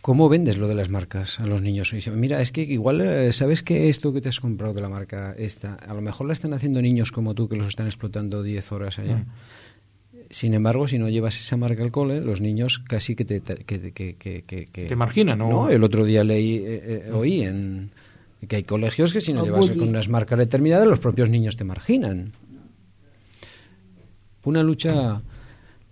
¿Cómo vendes lo de las marcas a los niños? Y dicen, mira, es que igual, ¿sabes que esto que te has comprado de la marca esta, a lo mejor la están haciendo niños como tú que los están explotando 10 horas allá? Sin embargo, si no llevas esa marca al cole, los niños casi que te marginan, ¿no? No, el otro día oí que hay colegios que si no llevas con unas marcas determinadas, los propios niños te marginan. Una lucha...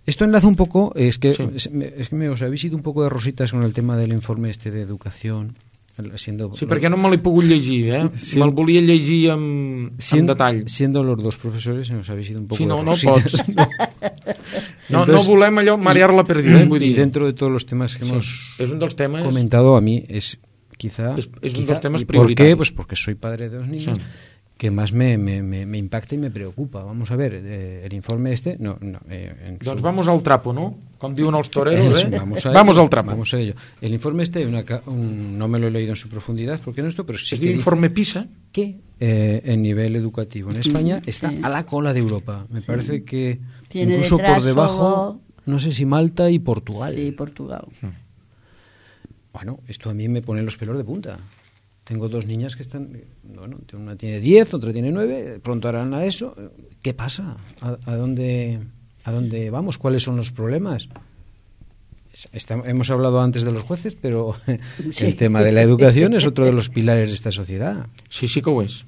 Esto enlaza un poco, es que os habéis ido un poco de rositas con el tema del informe de educación. Sí, perquè no me l'he pogut llegir, me'l volia llegir en detall. Siendo los dos profesores, nos habéis ido un poco de rositas. No pots. No volem allò marear la perdida. Y dentro de todos los temas que hemos comentado, a mí es quizá... Es un dels temes prioritarios. ¿Por qué? Pues porque soy padre de dos niños. Que más me impacta y me preocupa. Vamos a ver, el informe Doncs vamos al trapo, ¿no? Com diuen els toreros, Vamos al trapo. Vamos a ello. El informe no me lo he leído en su profundidad, porque no esto, pero sí que informe PISA, que el nivel educativo en España está a la cola de Europa. Me parece que tiene incluso por debajo, no sé si Malta y Portugal. Sí, Portugal. Bueno, esto a mí me pone los pelos de punta. Tengo dos niñas que están, una tiene 10, otra tiene 9, pronto harán a eso. ¿Qué pasa? ¿A dónde vamos? ¿Cuáles son los problemas? Hemos hablado antes de los jueces, pero el tema de la educación es otro de los pilares de esta sociedad. Sí que ho és.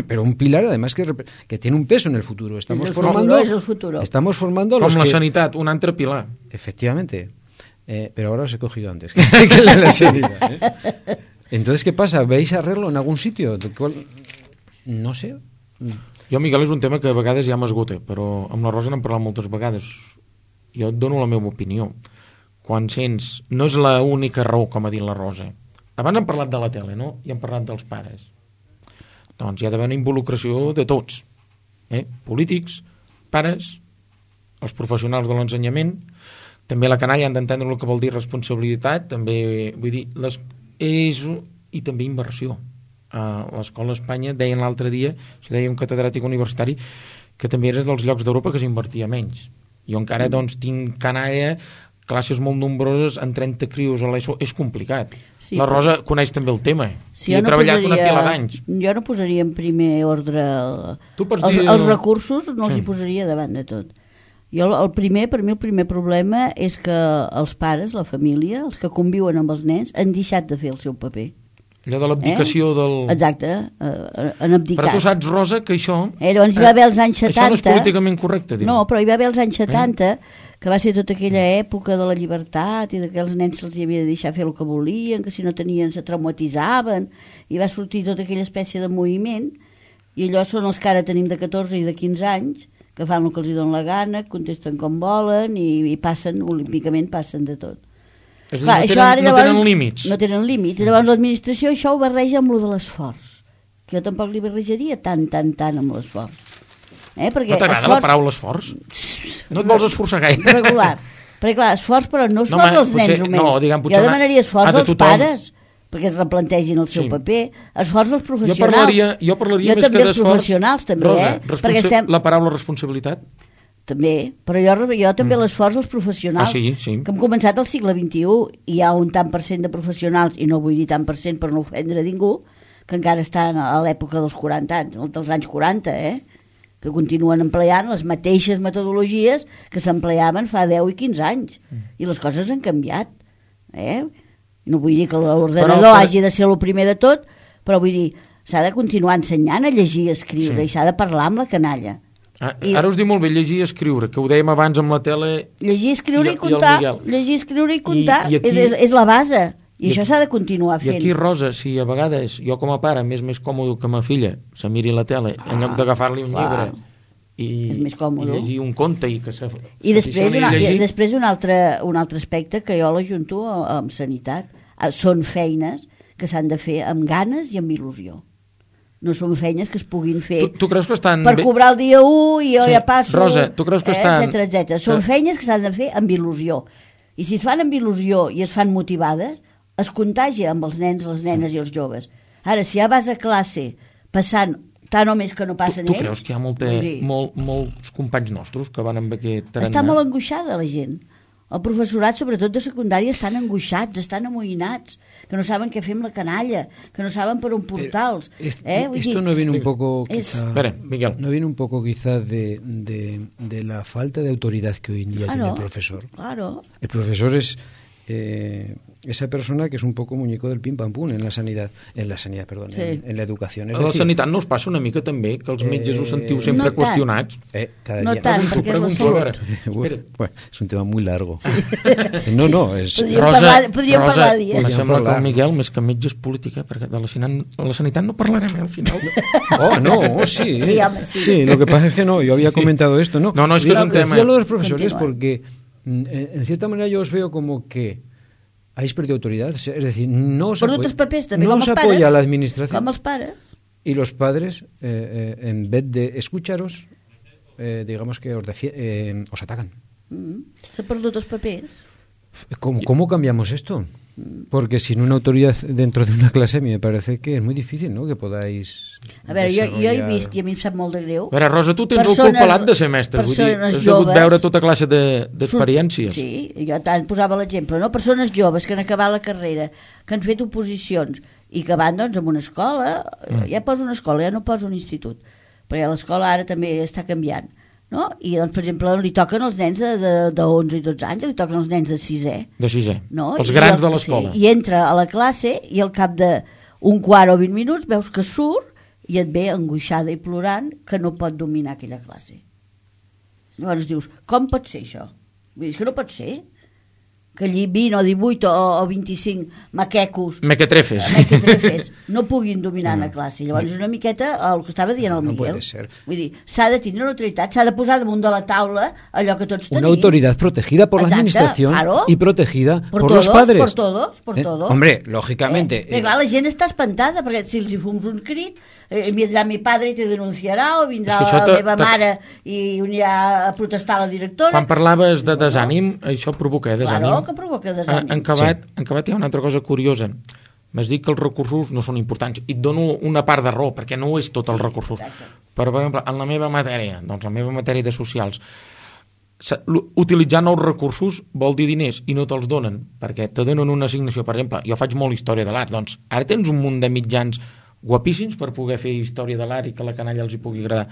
Pero un pilar, además, que tiene un peso en el futuro. Estamos formando a los la sanitat, un altre pilar. Efectivamente. Pero ahora os he cogido antes que la sanidad, Entonces, ¿qué pasa? ¿Veis arreglo en algún sitio? No sé. Jo, Miguel, és un tema que a vegades ja m'esgota, però amb la Rosa n'hem parlat moltes vegades. Jo et dono la meva opinió. Quan sents... No és l'única raó, com ha dit la Rosa. Abans hem parlat de la tele, no? I hem parlat dels pares. Doncs hi ha d'haver una involucració de tots. Polítics, pares, els professionals de l'ensenyament, també la canalla han d'entendre el que vol dir responsabilitat, també, vull dir, i també inversió. A l'Escola Espanya deien l'altre dia, això deia un catedràtic universitari, que també era dels llocs d'Europa que s'invertia menys. Jo encara tinc canalla, classes molt nombroses, en 30 crios a l'ESO, és complicat. Sí, la Rosa coneix també el tema, i ha treballat una pila d'anys. Jo no posaria en primer ordre els recursos, no els hi posaria davant de tot. Per mi el primer problema és que els pares, la família, els que conviuen amb els nens, han deixat de fer el seu paper. Allò de l'abdicació del... Exacte, han abdicat. Però tu saps, Rosa, que això... Doncs hi va haver els anys 70... Això no és políticament correcte, diu. No, però hi va haver els anys 70, que va ser tota aquella època de la llibertat i que els nens se'ls havia de deixar fer el que volien, que si no tenien se traumatitzaven, i va sortir tota aquella espècie de moviment, i allò són els que ara tenim de 14 i de 15 anys, que fan el que els hi dona la gana, contesten com volen i passen, olímpicament passen de tot. És a dir, no tenen límits. No tenen límits. Llavors l'administració això ho barreja amb lo de l'esforç, que jo tampoc li barrejaria tant amb l'esforç. No t'agrada la paraula esforç? No et vols esforçar gaire? Regular. Perquè clar, esforç però no esforç als nens només. Jo demanaria esforç als pares, perquè es replantegin el seu paper, esforç als professionals. Jo parlaria més que d'esforç. Professionals també, Rosa, la paraula responsabilitat? També, però jo també l'esforç als professionals, sí. que hem començat al segle XXI, i hi ha un tant per cent de professionals, i no vull dir tant per cent per no ofendre ningú, que encara estan a l'època dels 40 anys, dels anys 40, que continuen empleant les mateixes metodologies que s'empleaven fa 10 i 15 anys, i les coses han canviat. No vull dir que l'ordenador hagi de ser el primer de tot, però vull dir, s'ha de continuar ensenyant a llegir i escriure, i s'ha de parlar amb la canalla. Ara us diu molt bé llegir i escriure, que ho dèiem abans amb la tele. Llegir, escriure i comptar. Llegir, escriure i comptar. És la base. I això s'ha de continuar fent. I aquí, Rosa, si a vegades jo com a pare m'és més còmode que ma filla se miri la tele en lloc d'agafar-li un llibre és més còmode. I llegir un conte i que I després un altre aspecte que jo l'ajunto amb sanitat. Són feines que s'han de fer amb ganes i amb il·lusió. No són feines que es puguin fer tu creus que estan per cobrar el dia 1 i jo ja passo, Rosa, tu creus que estan... etcètera. Són feines que s'han de fer amb il·lusió. I si es fan amb il·lusió i es fan motivades, es contagia amb els nens, les nenes i els joves. Ara, si ja vas a classe passant tant o més que no passen Tu ells. creus que hi ha molts companys nostres que van amb aquest tarannà? Està molt angoixada la gent. El professorat, sobretot de secundària, estan angoixats, estan amoïnats, que no saben què fer amb la canalla, que no saben per on portar-los. Esto no viene un poco, quizá, Miguel. No viene un poco quizá de la falta de autoridad que hoy en día tiene el profesor. Claro. El profesor es esa persona que es un poco muñeco del pim pam pum en la sanidad, perdón, sí. en la educación. Es a la decir, sanitat no us passa una mica també que els metges us sentiu sempre no qüestionats? Cada no día. tant, perquè és la salut. Bueno, es un tema muy largo. Sí. No, es... Podríem parlar dies. Em sembla que el Miguel, més que metge, és política, perquè de la sanitat no parlarem al final. Sí. Sí, home, sí. Sí, lo que pasa es que no, yo había comentado esto, ¿no? No, es que es un tema. Decía lo de los profesores porque, en cierta manera, yo os veo como que habéis perdido autoridad, es decir, no os apoya la administración. Com els pares. Y los padres, en vez de escucharos, digamos que os atacan. S'ha perdut els papers. ¿Cómo cambiamos esto? Porque sin una autoridad dentro de una clase a mí me parece que es muy difícil, ¿no?, que podáis... A veure, jo he vist, i a mi em sap molt de greu... A veure, Rosa, tu tens el cul pelat de ser mestre, vull dir, has hagut veure tota classe d'experiències. Sí, jo tant posava l'exemple, no? Persones joves que han acabat la carrera, que han fet oposicions i que van, doncs, a una escola, ja poso una escola, ja no poso un institut, perquè l'escola ara també està canviant, no? I, doncs, per exemple, li toquen els nens de 11 i 12 anys, li toquen els nens de 6è. De 6è, no? els grans de l'escola. Sí, i entra a la classe i al cap d'un quart o 20 minuts veus que surt i et ve angoixada i plorant que no pot dominar aquella classe. Llavors dius, com pot ser això? Vull dir, és que no pot ser que allí 20 o 18 o 25 mequetrefes no puguin dominar la classe. Llavors és una miqueta el que estava dient el Miguel. Vull dir, s'ha de tenir una autoritat, s'ha de posar damunt de la taula allò que tots tenim. Una autoridad protegida por la administración, claro, y protegida por los padres. Por todos. Hombre, lógicamente. Clar, la gent està espantada, perquè si els hi fums un crit, vindrà mi padre i te denunciarà, o vindrà la meva mare i anirà a protestar a la directora. Quan parlaves de desànim, això provoca desànim. Claro, que provoca desànim. En acabat hi ha una altra cosa curiosa. M'has dit que els recursos no són importants, i et dono una part de raó, perquè no és tot els recursos. Però, per exemple, en la meva matèria, doncs la meva matèria de socials, utilitzar nous recursos vol dir diners i no te'ls donen, perquè te donen una assignació. Per exemple, jo faig molt història de l'art, doncs ara tens un munt de mitjans guapíssims per poder fer història de l'art i que la canalla els hi pugui agradar,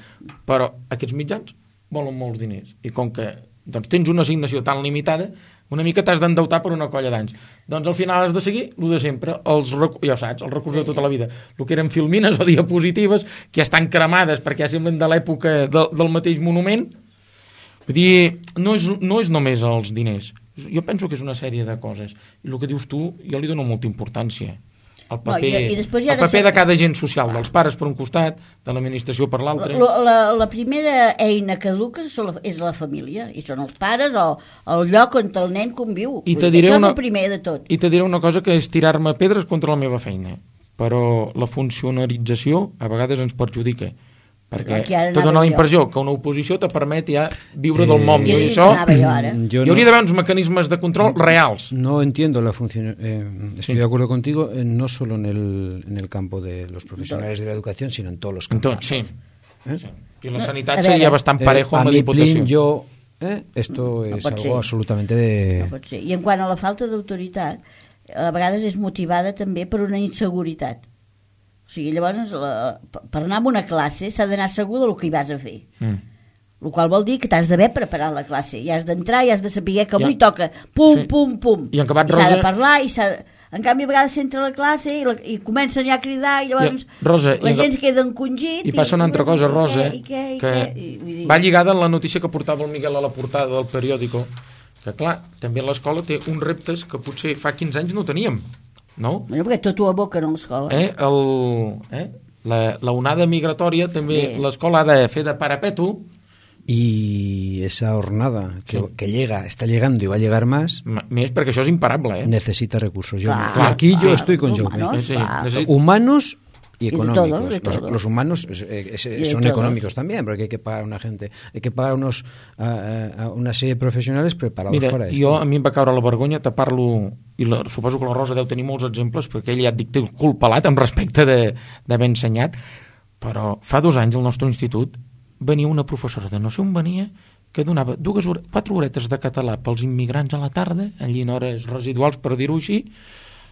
però aquests mitjans volen molts diners, i com que doncs, tens una assignació tan limitada, una mica t'has d'endeutar per una colla d'anys. Doncs al final has de seguir el de sempre, ja saps, els recursos de tota la vida, el que eren filmines o diapositives que ja estan cremades perquè ja semblen de l'època del mateix monument. Vull dir, no és només els diners, jo penso que és una sèrie de coses, i el que dius tu jo li dono molta importància. El paper de cada agent social, dels pares per un costat, de l'administració per l'altre. La primera eina que educa és la família, i són els pares o el lloc on el nen conviu. Això és el primer de tot. I te diré una cosa que és tirar-me pedres contra la meva feina, però la funcionarització a vegades ens perjudica, perquè te dona la impressió que una oposició te permet ja viure del món, i això hi hauria d'haver uns mecanismes de control reals. No entiendo la función, estoy de acuerdo contigo, no solo en el campo de los profesionales de la educación, sino en todos los campos. Sí. I la sanitat seria bastant parejo amb la Diputació. Esto es algo absolutamente de... No pot ser. I en quant a la falta d'autoritat, a vegades és motivada també per una inseguretat. O sigui, llavors, per anar a una classe s'ha d'anar segur del que hi vas a fer. El qual vol dir que t'has d'haver preparat la classe. I has d'entrar i has de saber que avui toca pum, pum. I s'ha de parlar i en canvi, a vegades s'entra a la classe i comencen ja a cridar i llavors la gent es queda encongit. I passa una altra cosa, Rosa, que va lligada a la notícia que portava el Miguel a la portada del periòdico, que clar, també l'escola té uns reptes que potser fa 15 anys no teníem. No? Perquè tot ho aboquen a l'escola. La onada migratòria també l'escola ha de fer de parapeto. Y esa hornada que está llegando y va a llegar más porque eso es imparable, necesita recursos. Aquí yo estoy con Jaume. Humanos y económicos. De todo. Los humanos son económicos también, porque hay que pagar a una gente, hay que pagar a una serie de profesionales preparados para esto. A mi em va caure la vergonya, te parlo, i suposo que la Rosa deu tenir molts exemples, perquè ella ja et dic, té el cul pelat en respecte d'haver ensenyat, Però fa 2 anys al nostre institut venia una professora de no sé on venia que donava 4 horetes de català pels immigrants a la tarda, allí en hores residuals, per dir-ho així,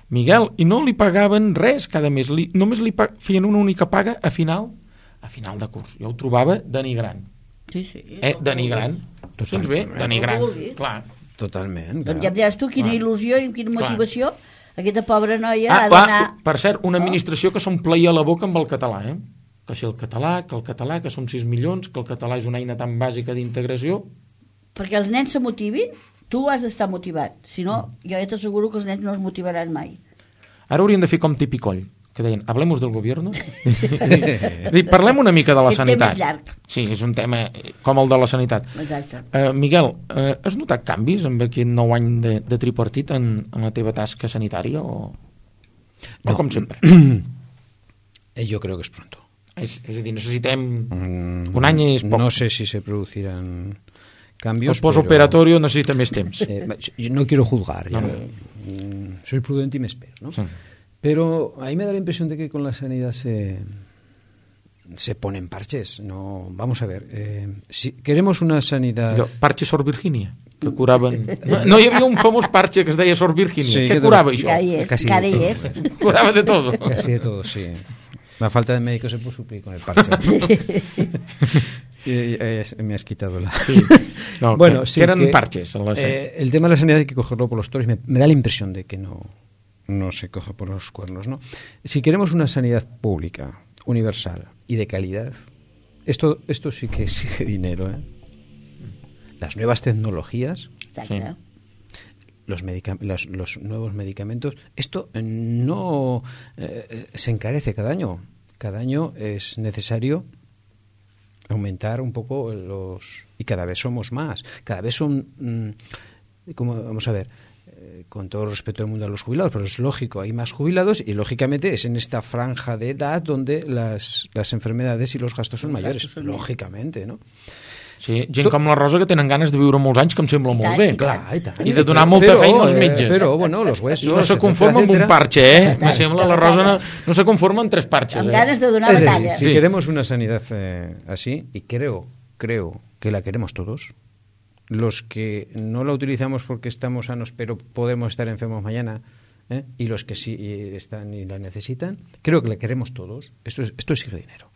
Miguel, i no li pagaven res cada mes, només li feien una única paga a final de curs. Jo ho trobava denigrant. Sí. Denigrant. Tu sents bé? Denigrant. Clar. Totalment. Doncs ja em diràs tu quina il·lusió i quina motivació aquesta pobra noia ha d'anar... Per cert, una administració que s'ompleia la boca amb el català, que si el català, que som 6 milions, que el català és una eina tan bàsica d'integració. Perquè els nens se motivin, tu has d'estar motivat. Si no, jo ja t'asseguro que els nens no es motivaran mai. Ara hauríem de fer com Tipicoll, que deien, hablemos del gobierno. Parlem una mica de la sanitat. Aquest tema és llarg. Sí, és un tema com el de la sanitat. Exacte. Miguel, has notat canvis amb aquest 9 any de tripartit en la teva tasca sanitària o com sempre? Yo creo que es pronto. Es decir, necesitem un any és poc. No sé si se producirán cambios. El postoperatorio necesita més temps. Yo no quiero juzgar. Soy prudente y me espero, ¿no? Sí. Pero a mí me da la impresión de que con la sanidad se ponen parches. No, vamos a ver. Si queremos una sanidad... Parche Sor Virgínia, que curaven... No hi havia un famós parche que es deia Sor Virgínia. Sí, què curava això? Encara hi és. Curava de todo. Casi de todo, sí. La falta de médicos se puede suplir con el parche. Me has quitado la... Sí. No, bueno, que eran parches. El tema de la sanidad hay que cogerlo por los toros. Me da la impresión de que no se coge por los cuernos, ¿no? Si queremos una sanidad pública, universal y de calidad, esto sí que exige dinero, ¿eh? Las nuevas tecnologías... Exacte. Los nuevos medicamentos, esto no se encarece cada año. Cada año es necesario aumentar un poco y cada vez somos más. Cada vez son, vamos a ver, con todo respeto del mundo a los jubilados, pero es lógico, hay más jubilados y lógicamente es en esta franja de edad donde las enfermedades y los gastos son mayores, lógicamente, ¿no? Sí, gent com la Rosa que tenen ganes de viure molts anys, que em sembla molt bé. Clar, i tant. I de donar molta feina als metges. Però, bueno, los huesos... I no se conforma amb un parche, Me sembla la Rosa no se conforma amb 3 parches, Amb ganes de donar batalla. Si queremos una sanidad así, y creo que la queremos todos, los que no la utilizamos porque estamos sanos, pero podemos estar enfermos mañana, y los que sí están y la necesitan, creo que la queremos todos. Esto exige dinero.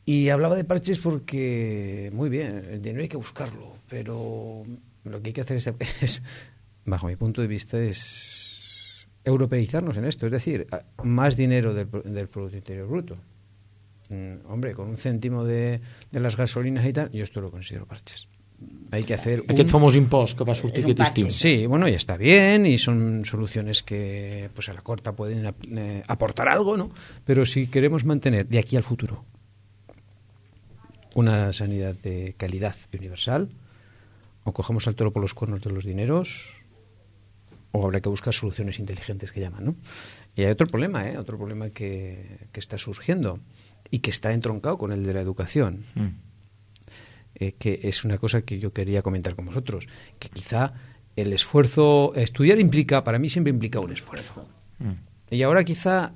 Y hablaba de parches porque, muy bien, el dinero hay que buscarlo, pero lo que hay que hacer es bajo mi punto de vista, es europeizarnos en esto, es decir, más dinero del Producto Interior Bruto. Hombre, con 1 céntimo de las gasolinas y tal, yo esto lo considero parches. Hay que hacer aquest famós impost que va sortir aquest estiu. Sí, bueno, ya está bien y son soluciones que pues a la corta pueden aportar algo, ¿no? Pero si queremos mantener de aquí al futuro una sanidad de calidad y universal, o cogemos al toro por los cuernos de los dineros, o habrá que buscar soluciones inteligentes que llaman, ¿no? Y hay otro problema que está surgiendo y que está entroncado con el de la educación, que es una cosa que yo quería comentar con vosotros, que quizá el esfuerzo, estudiar para mí siempre implica un esfuerzo. Y ahora quizá,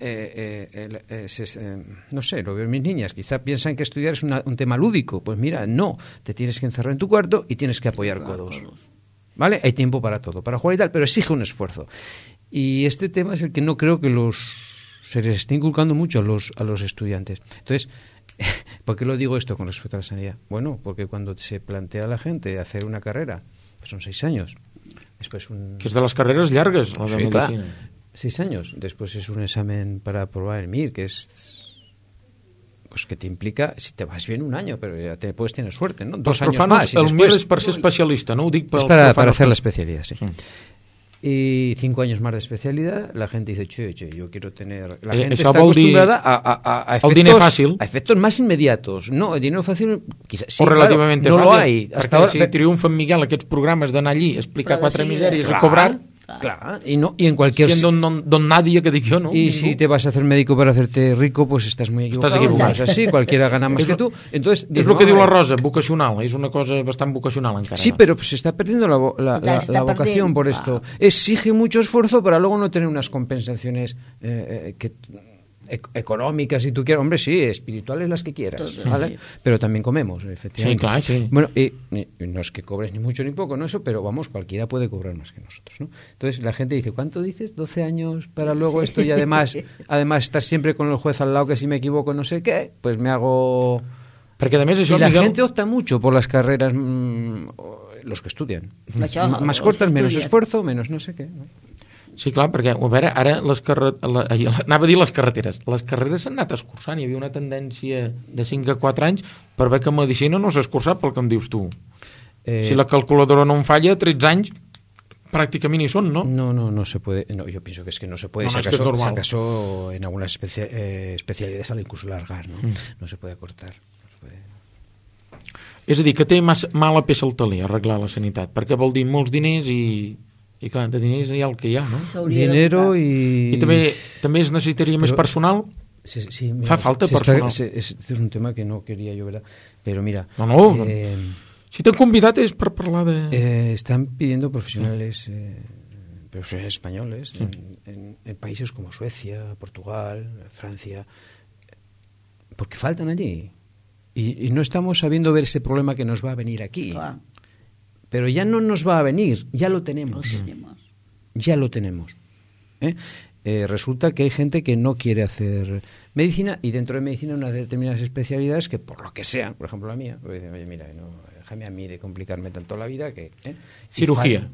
no sé, lo veo en mis niñas, quizá piensan que estudiar es un tema lúdico. Pues mira, no, te tienes que encerrar en tu cuarto y tienes que apoyar codos. ¿Vale? Hay tiempo para todo, para jugar y tal, pero exige un esfuerzo. Y este tema es el que no creo que se les esté inculcando mucho a los estudiantes. Entonces, ¿por qué lo digo esto con respecto a la sanidad? Bueno, porque cuando se plantea a la gente hacer una carrera, pues son 6 años. Después que es de las carreras largas, la de medicina. Claro. 6 años. Después es un examen para aprobar el MIR, que es pues que te implica, si te vas bien, 1 año, pero ya puedes tener suerte, ¿no? 2 años más. El MIR es para ser especialista, ¿no? Es para hacer la especialidad, sí. Y 5 años más de especialidad, la gente dice, che, yo quiero tener... La gente está acostumbrada a efectos más inmediatos. No, el dinero fácil, quizás, sí, o relativamente claro, fàcil. No lo hay. Hasta ahora, si triomfen, Miguel, aquests programes d'anar allí, explicar 4 misèries a cobrar... Claro, y en cualquier... Siendo don nadie que dic jo, ¿no? Y si te vas a hacer médico para hacerte rico, pues estás muy equivocado. Estás equivocado. Es así, cualquiera gana más que tú. Entonces, és el que diu la Rosa, vocacional. És una cosa bastant vocacional encara. Sí, pero se está perdiendo la vocación por esto. Exige mucho esfuerzo para luego no tener unas compensaciones que económicas, si tú quieres, hombre, sí, espirituales las que quieras, ¿vale? Sí. Pero también comemos, efectivamente. Sí, claro, sí. Bueno, y no es que cobres ni mucho ni poco, no eso, pero vamos, cualquiera puede cobrar más que nosotros, ¿no? Entonces la gente dice, ¿cuánto dices? 12 años para luego esto, y además estar siempre con el juez al lado, que si me equivoco no sé qué, pues me hago... Perquè, a més, això, Y la Miguel, gente opta mucho por las carreras, los que estudian. Això, Más els cortas, que menos estudien. esfuerzo, menos no sé qué, ¿no? sí, clar, perquè, a veure, ara anava a dir les carreteres. Les carreres s'han anat escurçant. Hi havia una tendència de 5 a 4 anys per veure que medicina no s'ha escurçat pel que em dius tu. Si la calculadora no em falla, 13 anys prácticamente ni son, ¿no? No se puede. No, yo pienso que es que no se puede. No, si, es acaso, que es normal. si acaso en algunas especialidades sale incluso largar, ¿no? No se puede acortar. No se puede. És a dir, que té mala peça al taler arreglar la sanitat, perquè vol dir molts diners i clar, de diners hi ha el que hi ha, no? S'hauria de Dinero tocar. y... I també es necessitaria més personal. Sí, Fa falta personal. Este es un tema que no quería yo, ¿verdad? Pero mira... No. Si t'han convidat és per parlar de... están pidiendo profesionales españoles en países como Suecia, Portugal, Francia, porque faltan allí. Y no estamos sabiendo ver ese problema que nos va a venir aquí. Clar, Pero ya no nos va a venir, ya lo tenemos. Ya lo tenemos. Resulta que hay gente que no quiere hacer medicina, y dentro de medicina unas determinadas especialidades que por lo que sea, por ejemplo la mía, pues dicen, oye, mira, no, déjame a mí de complicarme tanto la vida que... Cirugía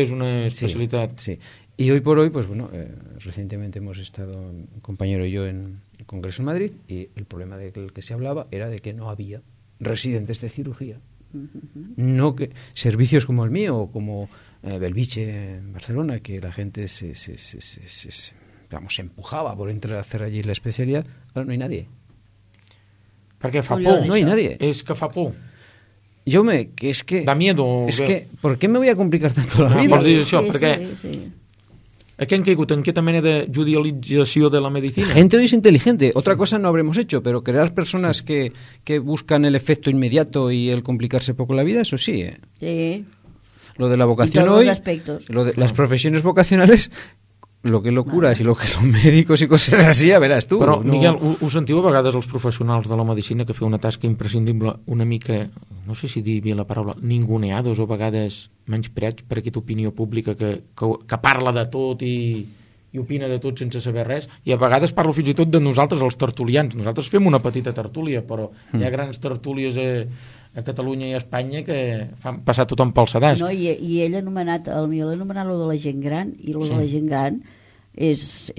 és una especialitat. Sí. Y hoy por hoy, pues bueno, recientemente hemos estado, un compañero y yo, en el Congreso en Madrid, y el problema del que se hablaba era de que no había residentes de cirugía. No que servicios como el mío o como Belviche en Barcelona, que la gente se empujaba por entrar a hacer allí la especialidad. Ahora no hay nadie. Perquè fa por. No hay nadie. És que fa por. Que es que... Da miedo. Es que, ¿por qué me voy a complicar tanto la vida? Vols dir això? Sí, Perquè sí. aquí han caigut en aquesta mena de judicialització de la medicina. La gente hoy es inteligente. Otra cosa no habremos hecho, pero crear personas que buscan el efecto inmediato y el complicarse poco la vida, eso sí. Sí. Lo de la vocación En todos hoy, los aspectos. lo de las profesiones vocacionales, lo que lo curas y lo que los médicos y cosas así, ya verás tú. Però, no... Miguel, ho sentiu a vegades els professionals de la medicina que feu una tasca imprescindible una mica, no sé si dir bé la paraula, ninguneados o a vegades menyspreats per aquesta opinió pública que parla de tot i opina de tot sense saber res, i a vegades parlo fins i tot de nosaltres, els tertulians. Nosaltres fem una petita tertúlia, però hi ha grans tertúlies a Catalunya i a Espanya que fan passar tothom pel sedàs. No, i ell ha anomenat, el Miguel ha anomenat lo de la gent gran, i lo de la gent gran és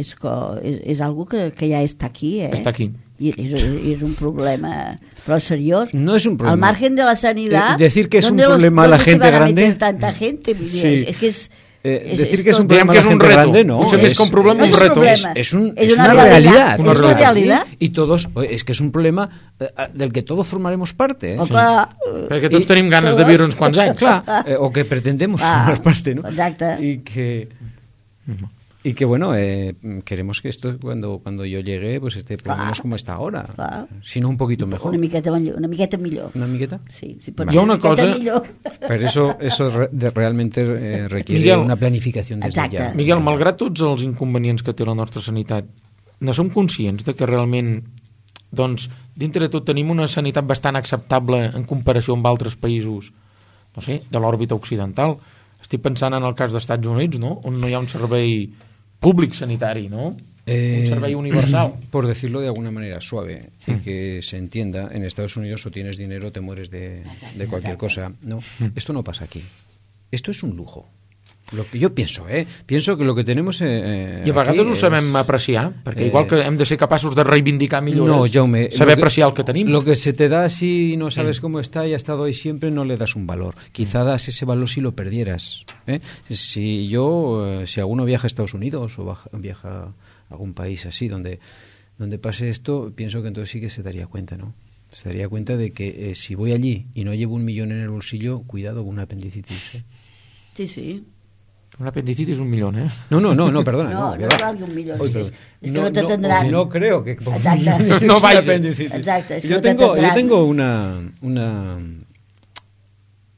algo que ja està aquí, Està aquí. Y es un problema, pero seriós. No es un problema. Al margen de la sanidad. Decir que es un problema la gente grande. Tanta gente, sí. es que es decir que es un problema la gente grande, no. Es un problema, un reto. Es una realidad. Es una realidad. Y todos, es que es un problema del que todos formaremos parte. Sí. Perquè tots tenim ganes de viure uns quants anys. Clar, o que pretendemos formar parte, ¿no? Exacte. Y que bueno, queremos que esto cuando yo llegue pues esté por lo menos como está ahora, si no un poquito mejor. Una miqueta millor. ¿Una miqueta? Sí, Hi ha una cosa... Pero eso realmente requiere Miguel, una planificación desde ya. Miguel, malgrat tots els inconvenients que té la nostra sanitat, no som conscients de que realment, doncs, dintre de tot tenim una sanitat bastant acceptable en comparació amb altres països, no sé, de l'òrbita occidental. Estic pensant en el cas dels Estats Units, no?, on no hi ha un servei públic sanitari, ¿no? Un servei universal. Por decirlo de alguna manera suave y que se entienda, en Estados Unidos o tienes dinero o te mueres de cualquier cosa. No, esto no pasa aquí. Esto es un lujo. Lo que yo pienso que lo que tenemos I a vegades ho sabem apreciar, perquè igual que hem de ser capaços de reivindicar millores, Jaume, saber apreciar el que tenim. Lo que se te da si no sabes cómo está y ha estado ahí siempre, no le das un valor. Quizá das ese valor si lo perdieras. Si alguno viaja a Estados Unidos o viaja a algún país así donde pase esto, pienso que entonces sí que se daría cuenta, ¿no? Se daría cuenta de que si voy allí y no llevo 1 millón en el bolsillo, cuidado con una apendicitis. Sí, sí. Un apendicitis 1 millón, ¿eh? No, perdona. No valga 1 millón. Oye, es que no te tendrán. No creo que... Exacte. No vaya apendicitis. Exacto. Yo tengo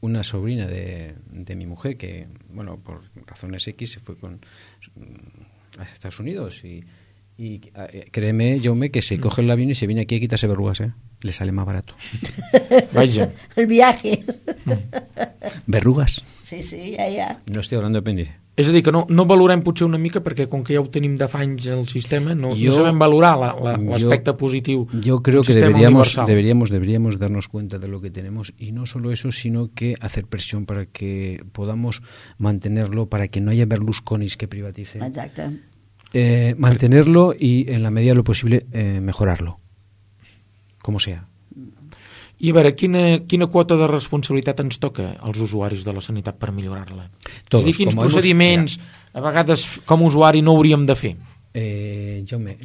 una sobrina de mi mujer que, bueno, por razones X se fue a Estados Unidos Y créeme, Jaume, que se coge el avión y se viene aquí a quitarse verrugas, ¿eh? Le sale más barato. Vaja. El viaje. Verrugas. Sí, ja. No estoy hablando de apéndice. És a dir, que no valorem potser una mica, perquè com que ja ho tenim de fa anys el sistema, no sabem valorar l'aspecte positiu. Yo creo que deberíamos darnos cuenta de lo que tenemos, y no solo eso, sino que hacer presión para que podamos mantenerlo, para que no haya Berlusconis que privaticen. Exacte. Mantenerlo y, en la medida de lo posible, mejorarlo. Como sea. I a veure, quina quota de responsabilitat ens toca als usuaris de la sanitat per millorar-la? Todos. És a dir, quins procediments a vegades com a usuari no hauríem de fer? Jaume,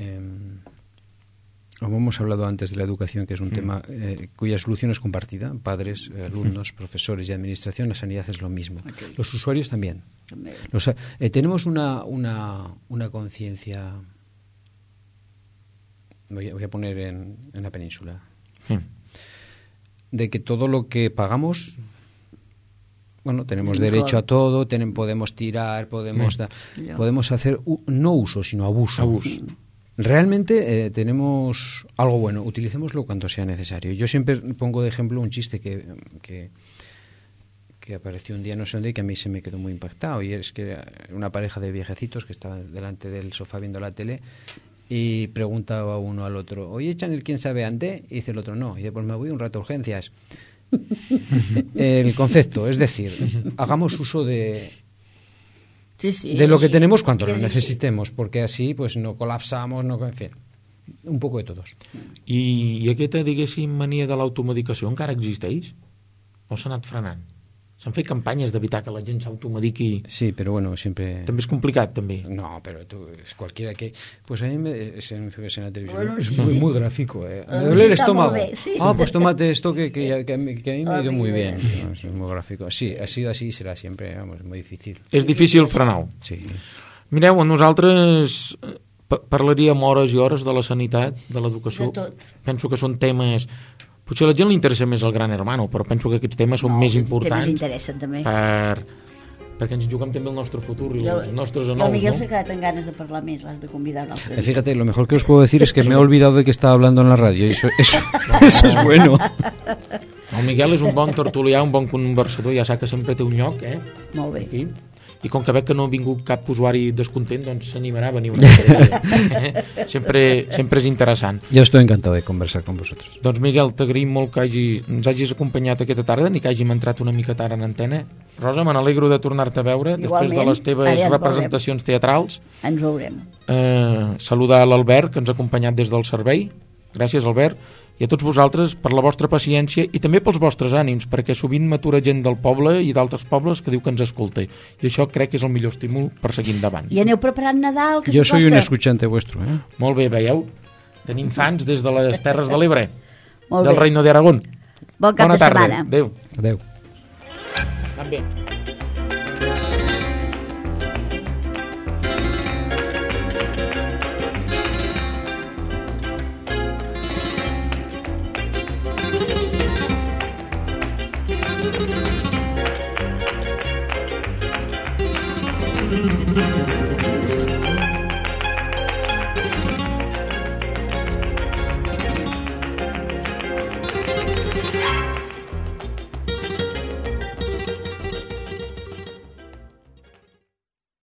como hemos hablado antes de la educación, que es un tema cuya solución es compartida, padres, alumnos, profesores y administración, la sanidad es lo mismo. Okay. Los usuarios también. Tenemos una conciencia, voy a poner en la península, de que todo lo que pagamos, bueno, tenemos derecho a todo, podemos tirar, podemos hacer no uso, sino abuso. Realmente tenemos algo bueno, utilicémoslo cuando sea necesario. Yo siempre pongo de ejemplo un chiste que apareció un día no sé dónde y que a mí se me quedó muy impactado, y es que una pareja de viejecitos que estaban delante del sofá viendo la tele y preguntaba uno al otro, oye, Chanel, ¿quién sabe ante? Y dice el otro, no. Y dice, pues me voy un rato a urgencias. El concepto, es decir, hagamos uso de lo que tenemos cuando lo necesitemos, porque así pues no colapsamos, en fin, un poco de todos. I aquesta, diguéssim, mania de l'automedicació encara existeix? O s'ha anat frenant? S'han fet campanyes d'evitar que la gent s'automediqui. Sí, pero bueno, siempre... També és complicat, també. No, pero tú, es cualquiera que... Pues a mí se me ves en la televisión. Bueno, es muy gráfico, ¿eh? Me duele el estómago. Sí. Ah, pues tómate esto que a mí me ha ido muy bien. No, es muy gráfico. Sí, ha sido así y será siempre, vamos, muy difícil. És difícil frenar-ho. Sí. Mireu, nosaltres parlaríem hores i hores de la sanitat, de l'educació. De tot. Penso que són temes... Potser a la gent li interessa més el Gran Hermano, però penso que aquests temes són més importants. Temes interessen, també. Perquè ens juguem també el nostre futur i els nostres anous, el Miguel s'ha quedat amb ganes de parlar més, l'has de convidar un altre dia. Fíjate, lo mejor que os puedo decir es que me he olvidado de que estaba hablando en la radio, y eso es bueno. El Miguel és un bon tertulià, un bon conversador, ja sap que sempre té un lloc, Molt bé. Aquí. I com que veig que no ha vingut cap usuari descontent, doncs s'animarà a venir una vegada. Sempre és interessant. Jo estoy encantado de conversar con vosotros. Doncs Miguel, t'agraïm molt que ens hagis acompanyat aquesta tarda, ni que hàgim entrat una mica tard en antena. Rosa, me n'alegro de tornar-te a veure. Igualment, després de les teves representacions teatrals. Ens veurem. Saludar l'Albert, que ens ha acompanyat des del servei. Gràcies, Albert. I a tots vosaltres per la vostra paciència i també pels vostres ànims, perquè sovint m'atura gent del poble i d'altres pobles que diu que ens escolta, i això crec que és el millor estímul per seguir endavant. I aneu preparant Nadal, que jo soy un escuchante vuestro, eh? Molt bé, veieu? Tenim fans des de les Terres de l'Ebre, del Reino de Aragón. Bon cap de setmana. Adéu. Adéu. També.